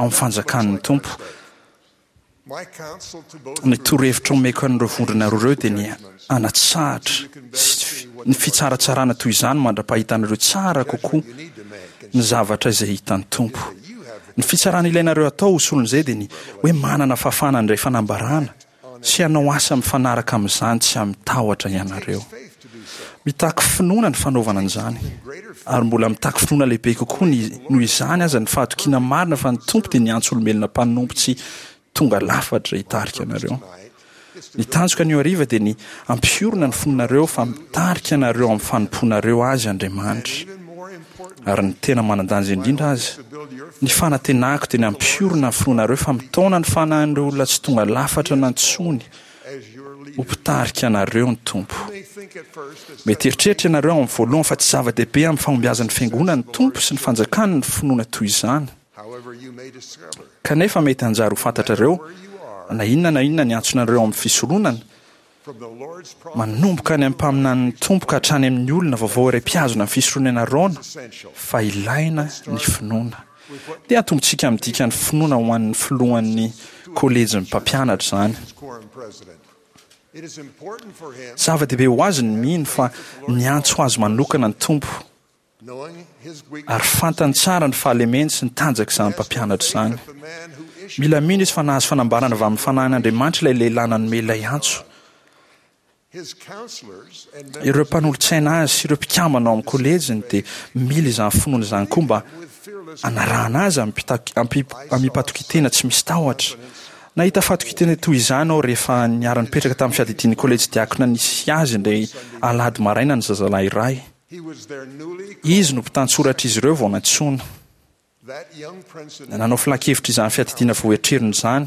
amin'ny fanjakan'ny Tompo. Ny torohevitra omeko an'ireo vondrona roa ireo dia ny hanatsahatra ny fitsaratsarana toy izany mandra-pahitanareo tsara kokoa ny zavatra izay hitan'ny Tompo. Ny fitsarana ilainareo atao ho solon'izay dia ny hoe manana fahafahana handray fanambarana sy hanao asa mifanaraka amin'izany tsy amin-tahotra ianareo. Mitaky finoana ny fanaovana an'izany, ary mbola mitaky finoana lehibe kokoa ny noho izany aza ny fahatokiana marina fa ny Tompo dia niantso olombelona mpanompo tsy tonga lafatra hitarika anareo. Ny tanjoko anio hariva dia ny hampiorina ny finoanareo fa mitarika anareo amin'ny fanompoanareo Azy Andriamanitra. Ary ny tena manan-danja indrindra aza, ny fanantenako dia ny hampiorina ny finoanareo fa mitaona ny fanahin'ireo olona tsy tonga lafatra nantsoiny ho mpitarika anareo ny Tompo. Mety hieritreritra ianareo amin'ny voalohany fa tsy zava-dehibe amin'ny fahombiazan'ny Fiangonana ny Tompo sy ny Fanjakany ny finoana toy izany. Kanefa mety hanjary ho fantatrareo, na inona na inona ny antsonareo amin'ny fisoronana, manomboka any amin'ny mpaminanin'ny Tompo ka hatrany amin'ny olona vaovao iray mpihazona ny fisoronana Arona, fa ilaina ny finoana. Dia atombontsika amin'ny dikan'ny finoana ho an'ny filohan'ny kôlejin'ny mpampianatra izany. Zava-dehibe ho azy ny mino fa niantso azy manokana ny Tompo, ary fantany tsara ny fahalemeny sy ny tanjak'izany mpampianatra izany. Mila mino izy fa nahazo fanambarana avy amin'ny Fanahin'Andriamanitra ilay lehilahy nanome ilay antso. Ireo mpanolotsaina azy sy ireo mpikambana ao amin'ny kôlejiny dia mila izany finoana izany koa mba hanarahana azy amim-patokian-tena tsy misy tahotra. Nahita fatokian-tena toy izany aho rehefa niara-nipetraka tamin'ny fiadidian'ny kôlejy diakona nisy azy indray alahady maraina ny zazalahy iray. Izy no mpitantsoratr'izy ireo vao nantsoina. Nanao filankevitra izany fiadidiana voahetrerony izany.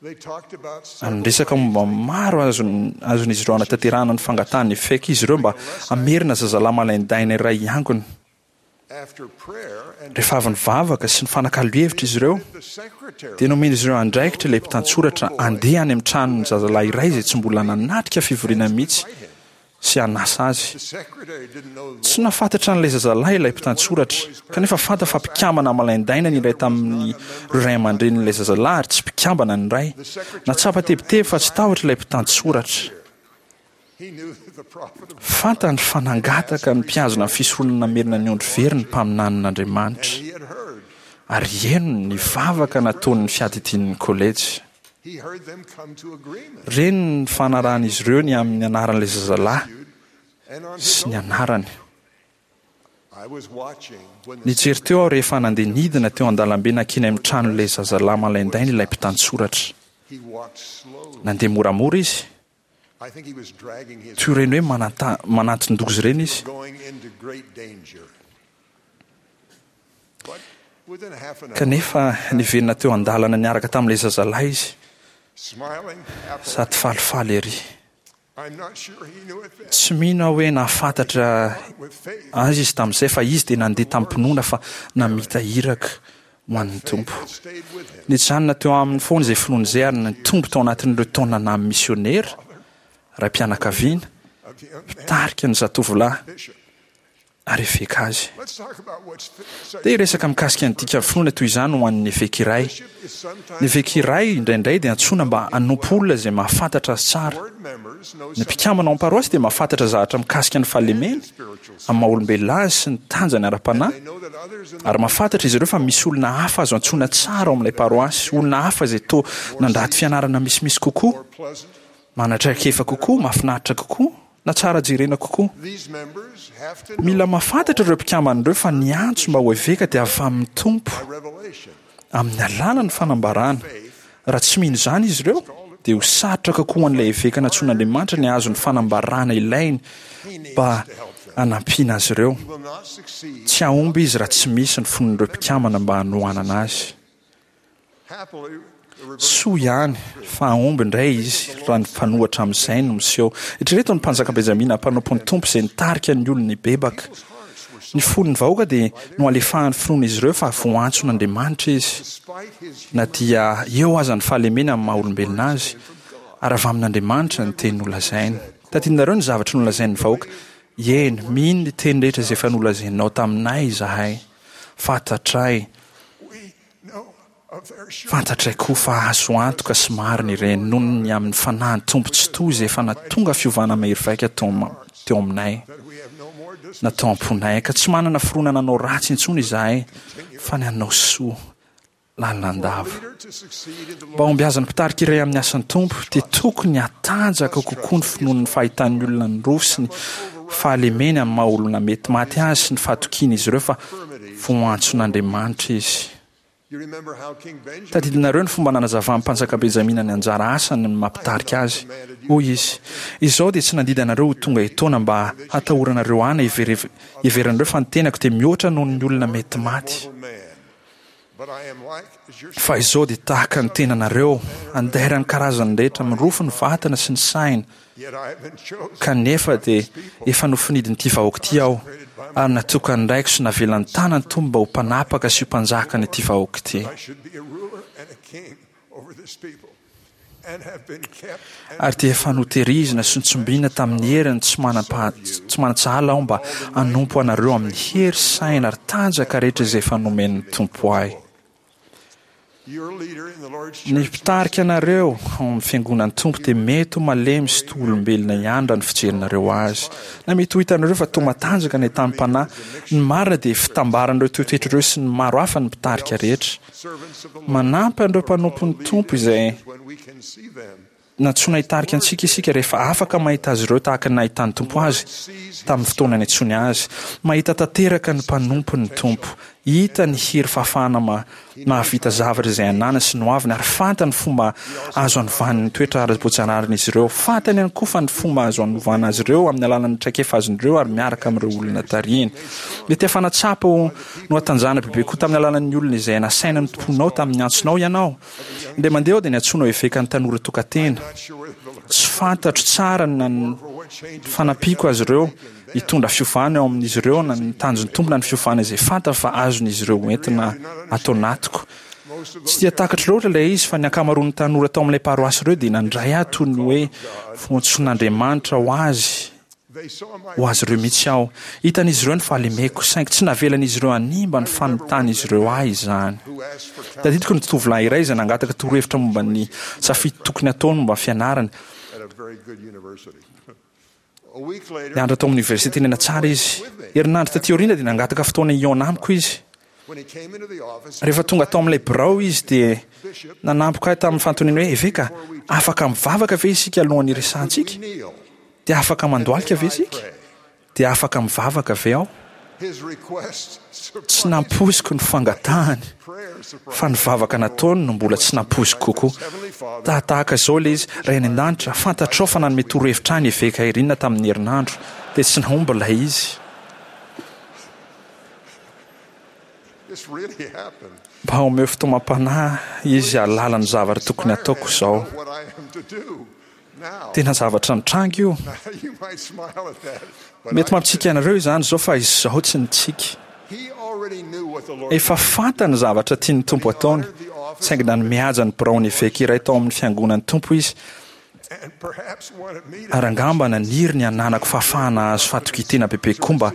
Ary niresaka momba ny maro azon'izy ireo hanatanterahana ny fangatahan'ny eveka izy ireo mba hamerina zazalahy malaindaina iray hiangona. Rehefa avy nivavaka sy nifanakalo hevitra izy ireo, dia nomen'izy ireo andraikitra ilay mpitantsoratra handeha any amin'ny tranon'ny zazalahy iray izay tsy mbola nanatrika fivoriana mihitsy sy hanasa azy. Tsy nahafantatra an'ilay zazalahy ilay mpitantsoratra, kanefa fantany fa mpikambana malaindaina ny iray tamin'ireo ray aman-drenin'ilay zazalahy ary tsy mpikambana ny iray. Nahatsapa tebiteby fa tsy tahotra ilay mpitantsoratra. Fantany fa nangataka ny mpihazona ny fisoronana namerina ny ondry very ny mpaminanin'Andriamanitra, ary henony ny vavaka nataon'ny fiadidian'ny kolejy. Reny ny fanarahan'izy ireo ny amin'ny anaran'ilay zazalahy sy ny anarany. Nijery teo aho rehefa nandeha nidina teo an-dalambe nankeny amin'ny tranon'ilay zazalahy malaindaina ilay mpitantsoratra. Nandeha moramora izy, toy ireny hoe mananton-doza ireny izy. Kanefa niverina teo an-dalana niaraka tamin'ilay zazalahy izy, sady falifaly ery. Tsy mino aho hoe nahafantatra azy izy tamin'izay, fa izy dia nandeha tamim-pinoana fa namita iraka ho an'ny Tompo. Nijanona teo aminy foana izay finoana izay ary nitombo tao anatin'ireo taona naha misionera, raim-pianakaviana, mpitarika ny zatovolahy. ary eveka azy. Dia hiresaka mikasika ny dikan'ny finoana toy izany ho an'ny eveka iray. Ny eveka iray indraindray dia antsoina mba hanompo olona izay mahafantatra azy tsara. Ny mpikambana ao amin'ny paroasy dia mahafantatra zavatra mikasika ny fahalemeny amin'ny maha-olombelona azy sy ny tanjany ara-panahy, ary mahafantatra izy ireo fa misy olona hafa azo antsoina tsara ao amin'ilay paroasy, olona hafa izay toa nandrato fianarana misimisy kokoa, manan-traikefa kokoa, mahafinaritra kokoa. na tsara jerena kokoa. Mila mahafantatra ireo mpikambana ireo fa ny antso mba ho eveka dia avy amin'ny Tompo, amin'ny alalan'ny fanambarana. Raha tsy mino izany izy ireo, dia ho sarotra kokoa ho an'ilay eveka nantsoin'Andriamanitra ny hahazo ny fanambarana ilainy mba hanampiana azy ireo. Tsy hahomby izy raha tsy misy ny finoan'ireo mpikambana mba hanohanana azy. Soa ihany fa hahomby indray izy raha ny mpanohatra amin'izay no miseho. Eritrereto ny mpanjaka Benjamina mpanompon'ny Tompo izay nitarika ny olony hibebaka. Ny fon'ny vahoaka dia nohalefahan'ny finoan'izy ireo fa voantson'Andriamanitra izy, na dia eo aza ny fahalemeny amin'ny maha-olombelona azy, ary avy amin'Andriamanitra ny teny nolazainy. Tadidinareo ny zavatra nolazain'ny vahoaka, Eny, mino ny teny rehetra izay efa nolazainao taminay izahay. Fantatray. Fantatray koa fa azo antoka sy marina ireny noho ny amin'ny Fanahin'ny Tompo Tsitoha izay efa nahatonga fiovana mahery vaika teo aminay, na tao am-ponay, ka tsy manana fironana hanao ratsy intsony izahay fa ny hanao soa lalandava. Mba hahombiazan'ny mpitarika iray amin'ny asan'ny Tompo, dia tokony hatanjaka kokoa ny finoany ny fahitan'ny olona ny roa sy ny fahalemeny amin'ny maha-olona mety maty azy sy ny fahatokian'izy ireo fa voantson'Andriamanitra izy. Tadidinareo ny fomba nanazavan'ny mpanjaka Benjamina ny anjara asany ny maha mpitarika azy. Hoy izy, Izaho dia tsy nandidy anareo ho tonga etoana mba hatahoranareo ahy na hiheveranareo fa ny tenako dia mihoatra noho ny olona mety maty. Fa izao dia tahaka ny tenanareo, andairan'ny karazany rehetra, mirofo ny vatana sy ny saina, kanefa dia efa nofinidin'ity vahoaka ity aho, ary natokan'ny raiko sy navelan'ny tanan'ny Tompo mba ho mpanapaka sy ho mpanjakan'ity vahoaka ity. Ary dia efa notehirizina sy notsombina tamin'ny heriny tsy manam-paha, tsy manan-tsahala aho mba hanompo anareo amin'ny hery, saina ary tanjaka rehetra izay efa nomen'ny Tompo ahy. Ny mpitarika anareo ao amin'ny Fiangonan'ny Tompo dia mety ho malemy sy toa olombelona ihany raha ny fijerinareo azy. Na mety ho hitanareo fa toa matanjaka ny tamim-panahy. Ny marina dia fitambaran'ireo toetoetra ireo sy ny maro hafa ny mpitarika rehetra. Manampy an'ireo mpanompon'ny Tompo izay nantsoina hitarika antsika isika rehefa afaka mahita azy ireo tahaka ny nahitan'ny Tompo azy tamin'ny fotoana niantsoany azy. Mahita tanteraka ny mpanompony ny Tompo. Hita ny hery fahafahana mahavita zavatra izay ananany sy ny hoaviny ary fantany ny fomba azo anovany ny toetra ara-boajanaharin'izy ireo. Fantany ihany koa fa ny fomba azo anovana azy ireo amin'ny alalan'ny traikefa azon'ireo ary miaraka amin'ireo olona tarihiny. Mety efa nahatsapa ho nohatanjahana bebe kokoa tamin'ny alalan'ny olona izay nasaina notompoinao tamin'ny antsonao ianao. Indray mandeha aho dia niantsoana ho evekan'ny tanora tokan-tena. Tsy fantatro tsara na ny fanampiako azy ireo hitondra fiovana eo amin'izy ireo na ny tanjon'ny Tompo na ny fiovana izay fantany fa azon'izy ireo hoentina ato anatiko. Tsy dia takatro loatra ilay izy fa ny ankamaroan'ny tanora tao amin'ilay paroasy ireo dia nandray ahy toy ny hoe voantson'Andriamanitra ho azy Ho azy ireo mihitsy aho. Hitan'izy ireo ny fahalemeko, saingy tsy navelan'izy ireo hanimba ny fanotan'izy ireo ahy izany. Tadidiko ny tovolahy iray izay nangataka torohevitra momba ny safidy tokony hataony momba ny fianarany. Nianatra tao amin'ny oniversite tena tsara izy. Herinandro taty aoriana dia nangataka fotoana hihaona amiko izy. Rehefa tonga tao amin'ilay birao izy dia nanampoka ahy tamin'ny fanontaniana hoe, Eveka, afaka mivavaka ve isika alohan'ny hiresahantsika? Dia afaka mandohalika ve isika? Dia afaka mivavaka ve aho? Tsy nampoiziko ny fangatahany, fa ny vavaka nataony no mbola tsy nampoiziko kokoa. Tahatahaka izao ilay izy, Ray any An-danitra, fantatrao fa nanome torohevitra ahy ny Eveka Irina tamin'ny herinandro, dia tsy nahomby ilay izy. Mba omeo fitaomam-panahy izy hahalala ny zavatra tokony hataoko izao. Tena zavatra nitranga io. Mety mampitsiky anareo izany izao fa izaho tsy nitsiky. Efa fantany ny zavatra tian'ny Tompo hataony, saingy nanome haja ny biraon'ny eveka iray tao amin'ny fiangonan'ny Tompo izy, ary angamba naniry ny hananako fahafahana hahazo fahatokian-tena bebe kokoa mba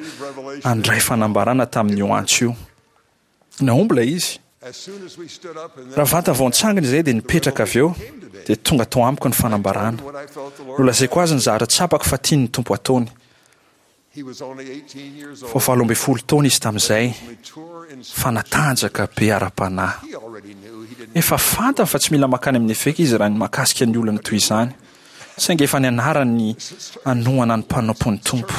handray fanambarana tamin'io antso io. Nahomby ilay izy. Raha vantany vao nitsangana izahay dia nipetraka avy eo, dia tonga tao amiko ny fanambarana. Nolazaiko azy ny zavatra tsapako fa tian'ny Tompo hataony. Vao valo ambin'ny folo taona izy tamin'izay, fa natanjaka be ara-panahy. Efa fantany fa tsy mila mankany amin'ny eveka izy raha ny mahakasika ny olana toy izany, saingy efa nianarany ny hanohana ny mpanompon'ny Tompo.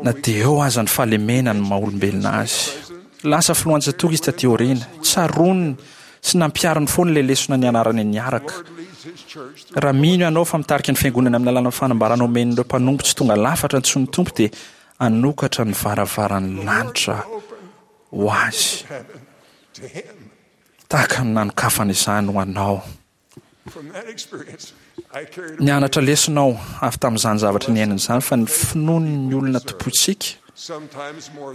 Na dia eo aza ny fahalemena ny maha-olombelona azy. Lasa filohan-tsatoka izy taty aoriana. Tsaroany sy nampihariny foana ilay lesona nianarany niaraka. Raha mino ianao fa mitarika ny Fiangonana amin'ny alalan'ny fanambarana omen'ireo mpanompo tsy tonga lafatra antsoin'ny Tompo dia hanokatra ny varavaran'ny lanitra ho azy tahaka ny nanokafany izany ho anao. Nianatra lesona aho avy tamin'izany zavatra niainana izany fa ny finoan'ny olona tompointsika,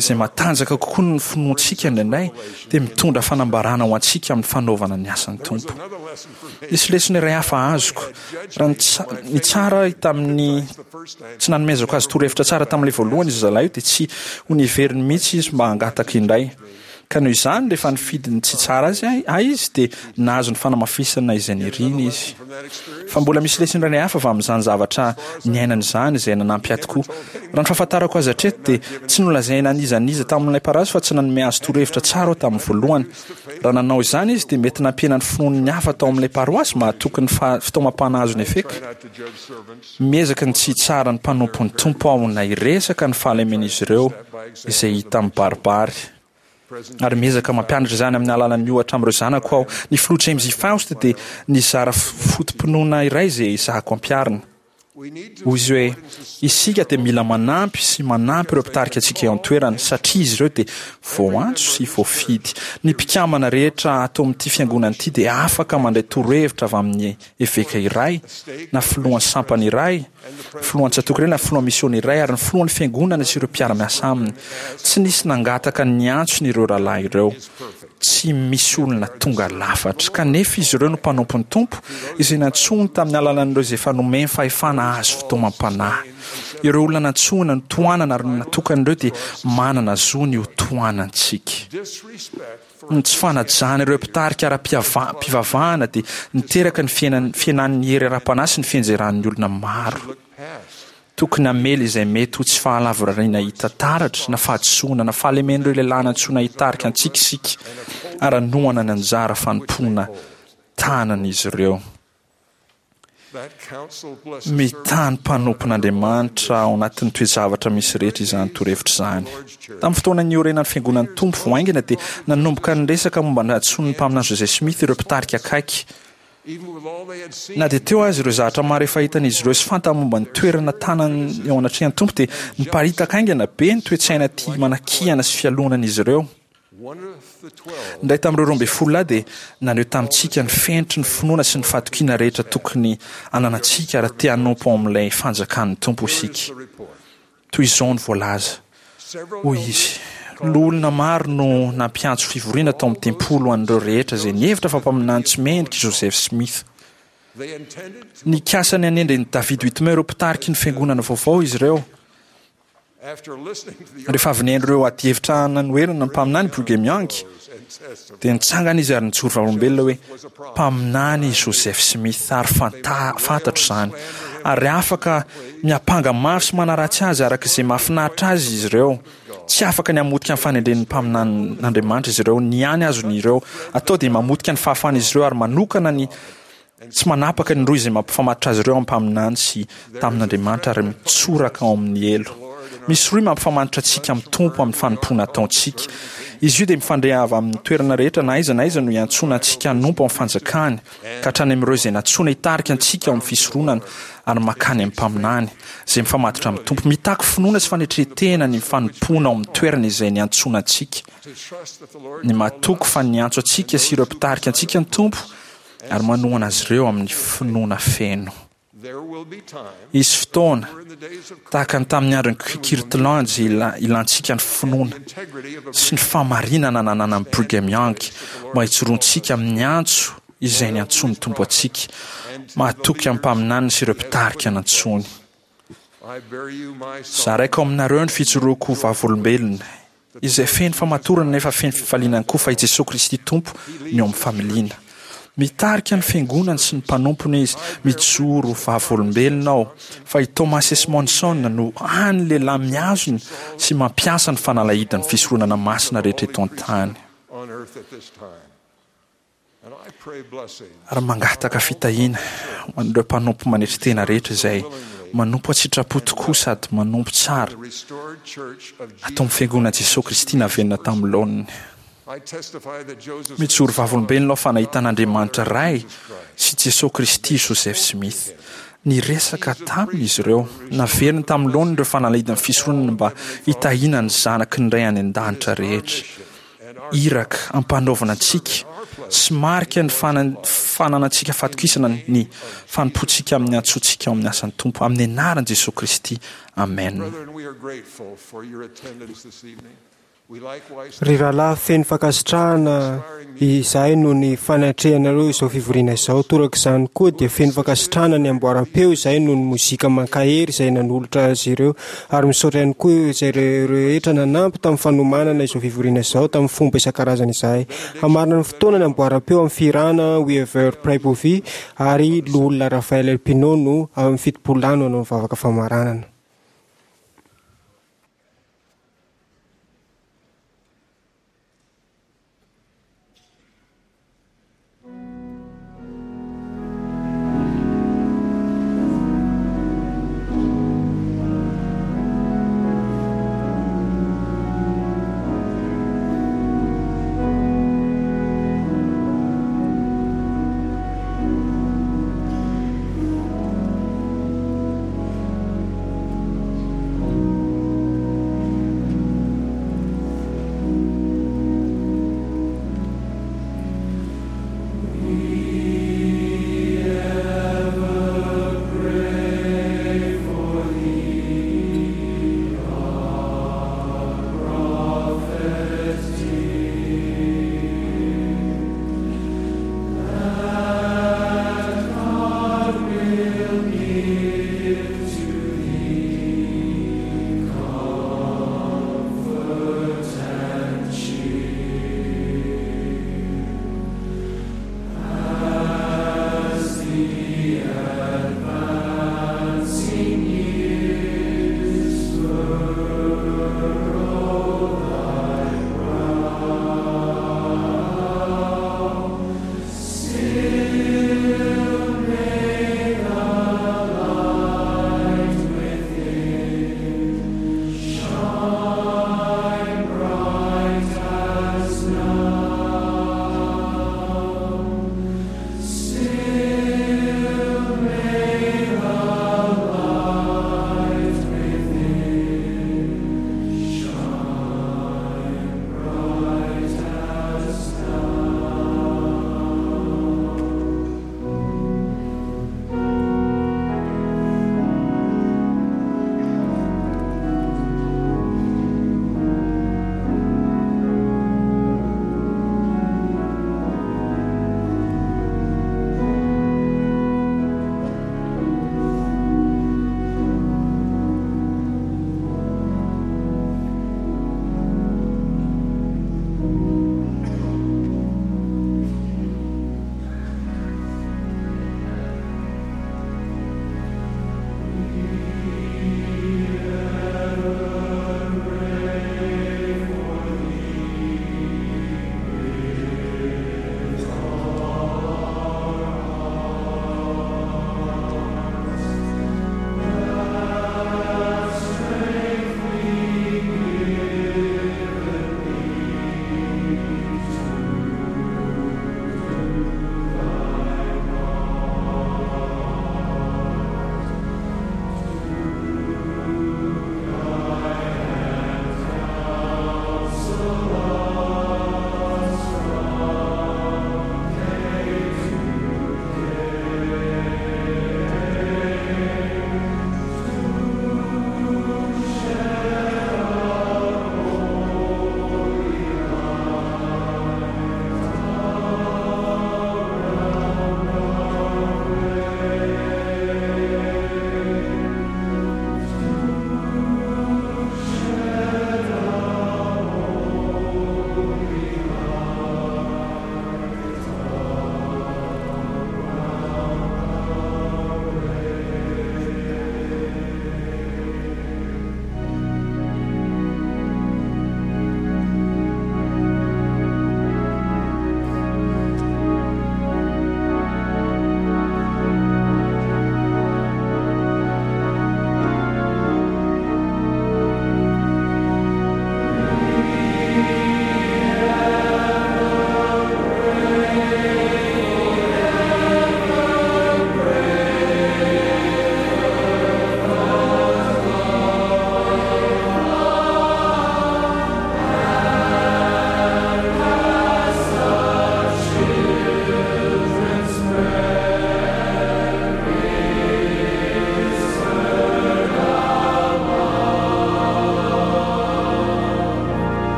izay matanjaka kokoa noho ny finoantsika indraindray, dia mitondra fanambarana ho antsika amin'ny fanaovana ny asan'ny Tompo. Nisy lesona iray hafa azoko. Raha nitsara ahy tamin'ny tsy nanomezako azy torohevitra tsara tamin'ilay voalohany izy zalahy io, dia tsy ho niveriny mihitsy izy mba hangataka indray. Ka noho izany, rehefa nifidy ny tsy tsara azy ahy izy, dia nahazo ny fanamafisana izay niriny izy. Fa mbola misy lesona iray hafa avy amin'izany zavatra niainana izany izay nanampy ahy tokoa. Raha ny fahafantarako azy hatreto, dia tsy nolazaina an'iza n'iza tamin'ilay parasy fa tsy nanome azy torohevitra tsara aho tamin'ny voalohany. Raha nanao izany izy, dia mety nampihena ny finoan'ny hafa tao amin'ilay paroasy mahatoky ny fitaomam-panahy azony eveka. Miezaka ny tsy hitsara ny mpanompon'ny Tompo aho na hiresaka ny fahalemen'izy ireo izay hita mibaribary. Ary miezaka mampianatra izany amin'ny alalan'ny ohatra amin'ireo zanako aho. Ny filoha James E. Faust dia nizara foto-pinoana iray izay ezahako ampiharina. Hoy izy hoe, Isika dia mila manampy sy manampy ireo mpitarika antsika eo an-toerana, satria izy ireo dia voaantso sy voafidy. Ny mpikambana rehetra ato amin'ity fiangonana ity dia afaka mandray torohevitra avy amin'ny eveka iray, na filohan'ny sampana iray, filohan'ny tsatòka iray na filohan'ny misiôna iray, ary ny filohan'ny fiangonana sy ireo mpiara-miasa aminy. Tsy nisy nangataka ny antsony ireo rahalahy ireo. Tsy misy olona tonga lafatra. Kanefa izy ireo no mpanompon'ny Tompo, izay nantsoiny tamin'ny alalan'ireo izay efa nomeny fahefana hahazo fitaomam-panahy. Ireo olona nantsoina, notohanana ary natokana ireo dia manana zo ny hotohanantsika. Ny tsy fanajana ireo mpitarika ara-pivavahana dia niteraka ny fihenan'ny hery ara-panahy sy ny fianjeran'ny olona maro. Tokony hamely izay mety ho tsy fahalavorariana hita taratra, na fahadisoana, na fahalemen'ireo lehilahy nantsoina hitarika antsika isika, ary hanohana ny anjara fanompoana tanan'izy ireo. Mitaha ny mpanompon'Andriamanitra ao anatin'ny toe-javatra misy rehetra izany torohevitra izany. Tamin'ny fotoana niorenan'ny Fiangonan'ny Tompo vao haingana dia nanomboka niresaka momba ny hadisoan'ny mpaminany Joseph Smith ireo mpitarika akaiky. Na dia teo aza ireo zavatra maro efa hitan'izy ireo sy fantany momba ny toerana tanany eo anatrehan'ny Tompo dia niparitaka haingana be ny toe-tsaina tia manakihana sy fialonan'izy ireo. Ny iray tamin'ireo roa ambin'ny folo lahy dia naneho tamintsika ny fenitry ny finoana sy ny fahatokiana rehetra tokony hananantsika raha te hanompo ao amin'ilay fanjakan'ny Tompo isika. Toy izao no voalaza, hoy izy, Loholona maro no nampiantso fivoriana tao amin'ny tempoly ho an'ireo rehetra izay nihevitra fa mpaminany tsy mendrika i Joseph Smith. Nikasa ny hanendry an'i David Whitmer ho mpitariky ny fiangonana vaovao izy ireo. Rehefa avy nihaino ireo adihevitra nanoherana ny mpaminany Brigham Young, dia nitsangana izy ary nijoro vavolombelona hoe, Mpaminany i Joseph Smith ary fantatro izany. Ary afaka miampanga mafy sy manaratsy azy araka izay mahafinaritra azy izy ireo. Tsy afaka ny hamotika ny fanendren'ny mpaminanin'Andriamanitra izy ireo. Ny hany azon'ireo atao dia mamotika ny fahafahan'izy ireo ary manokana ny Tsy manapaka ny rohy izay mampifamatotra azy ireo amin'ny mpaminany sy tamin'Andriamanitra ary mitsoraka ao amin'ny helo. Misy rohy mampifamatotra antsika amin'ny Tompo amin'ny fanompoana ataontsika. Izy io dia mifandray avy amin'ny toerana rehetra na aiza na aiza no iantsoana antsika hanompo amin'ny fanjakany, ka hatrany amin'ireo izay nantsoina hitarika antsika ao amin'ny fisoronana ary mankany amin'ny mpaminany, izay mifamatotra amin'ny Tompo. Mitaky finoana sy fanetren-tena ny fanompoana ao amin'ny toerana izay niantsoana antsika. Ny matoky fa niantso antsika sy ireo mpitarika antsika ny Tompo ary manohana azy ireo amin'ny finoana feno. Hisy fotoana, tahaka ny tamin'ny andron'i Kirtland, izay ilantsika ny finoana sy ny fahamarinana nananan'i Brigham Young mba hijoroantsika amin'ny antso izay niantsoan'ny Tompo antsika, mahatoky amin'ny mpaminaniny sy ireo mpitarika nantsoiny. Zaraiko aminareo ny fijoroako ho vavolombelona, izay feno famatorana nefa feno fifaliana ihany koa fa i Jesoa Kristy Tompo no eo amin'ny familiana. Mitarika ny Fiangonany sy ny mpanompony Izy. Mijoro ho vavolombelona aho fa i Thomas S. Monson no hany lehilahy mihazona sy mampiasa ny fanalahidin'ny fisoronana masina rehetra eto an-tany. Ary mangataka fitahiana ho an'ireo mpanompo manetry tena rehetra izay manompo an-tsitrapo tokoa sady manompo tsara ato amin'ny Fiangonan'i Jesoa Kristy naverina tamin'ny laoniny. Mijoro vavolombelona aho fa nahita an'Andriamanitra Ray sy Jesoa Kristy i Joseph Smith. Niresaka taminy izy ireo. Naveriny tamin'ny laoniny ireo fanalahidin'ny fisoronana mba hitahiana ny zanaky ny Ray any An-danitra rehetra. Iraka ampanaovina antsika sy marika ny fananantsika fatokisana ny fanompoantsika amin'ny antsointsika ao amin'ny asan'ny Tompo. Amin'ny anaran'i Jesoa Kristy, amena. Ry rahalahy, feno fankasitrahana izahay noho ny fanatrehanareo izao fivoriana izao. Toraka izany koa dia feno fankasitrahana ny amboaram-peo izahay noho ny mozika mankahery izay nanolotra azy ireo. Ary misaotra ihany koa izay rehetra nanampy tamin'ny fanomanana izao fivoriana izao tamin'ny fomba isan-karazany izahay. Hamarana ny fotoana ny amboaram-peo amin'ny fihirana We Ever Pray Bovi ary Loholona Raphaël Elpino no amin'ny fitopolo lahy no hanao ny vavaka famaranana.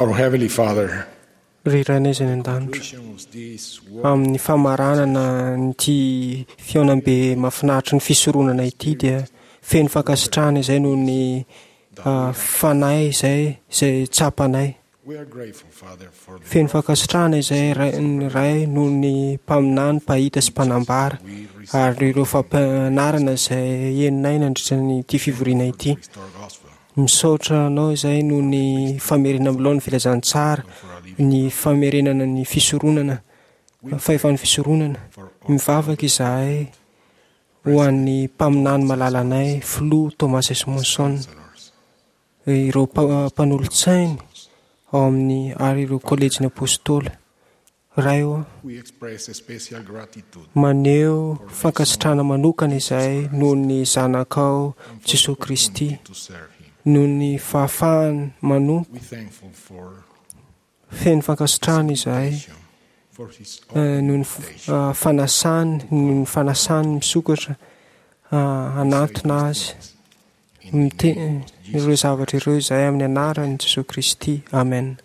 Our Heavenly Father, Ry Rainay izay any an-danitra, amin'ny famaranana an'ity fihaonambe mahafinaritra ny fisoronana ity dia feno fankasitrahana izay noho ny fanahy izay izay tsapanay. we are grateful, Father, for the Feno fankasitrahana izay Ray- ny Ray noho ny mpaminany, mpahita sy mpanambara ary ireo fampianarana izay henonay nandritra ny ity fivoriana ity. Misaotra anao izay noho ny famerenana milaon'ny filazantsara, ny famerenana ny fisoronana, fahefan'ny fisoronana. Mivavaka izahay ho an'ny mpaminany malalanay, Filoha Thomas S. Monson, ireo mpa- mpanolotsainy ao amin'ny ary ireo kolejin'ny apôstôly. Ray ô, we express a special gratitude maneho fankasitrahana manokana izahay noho ny zanakao Jesosy Kristy, to serve him. noho ny fahafahany manompo. We thankful for Feno fankasitrahana izahay for his eh, noho ny f- ah, fanasany, noho ny fanasany misokatra ah, hanatona azy. Mite- ireo zavatra ireo izahay amin'ny anaran'i Jesosy Kristy. Amen.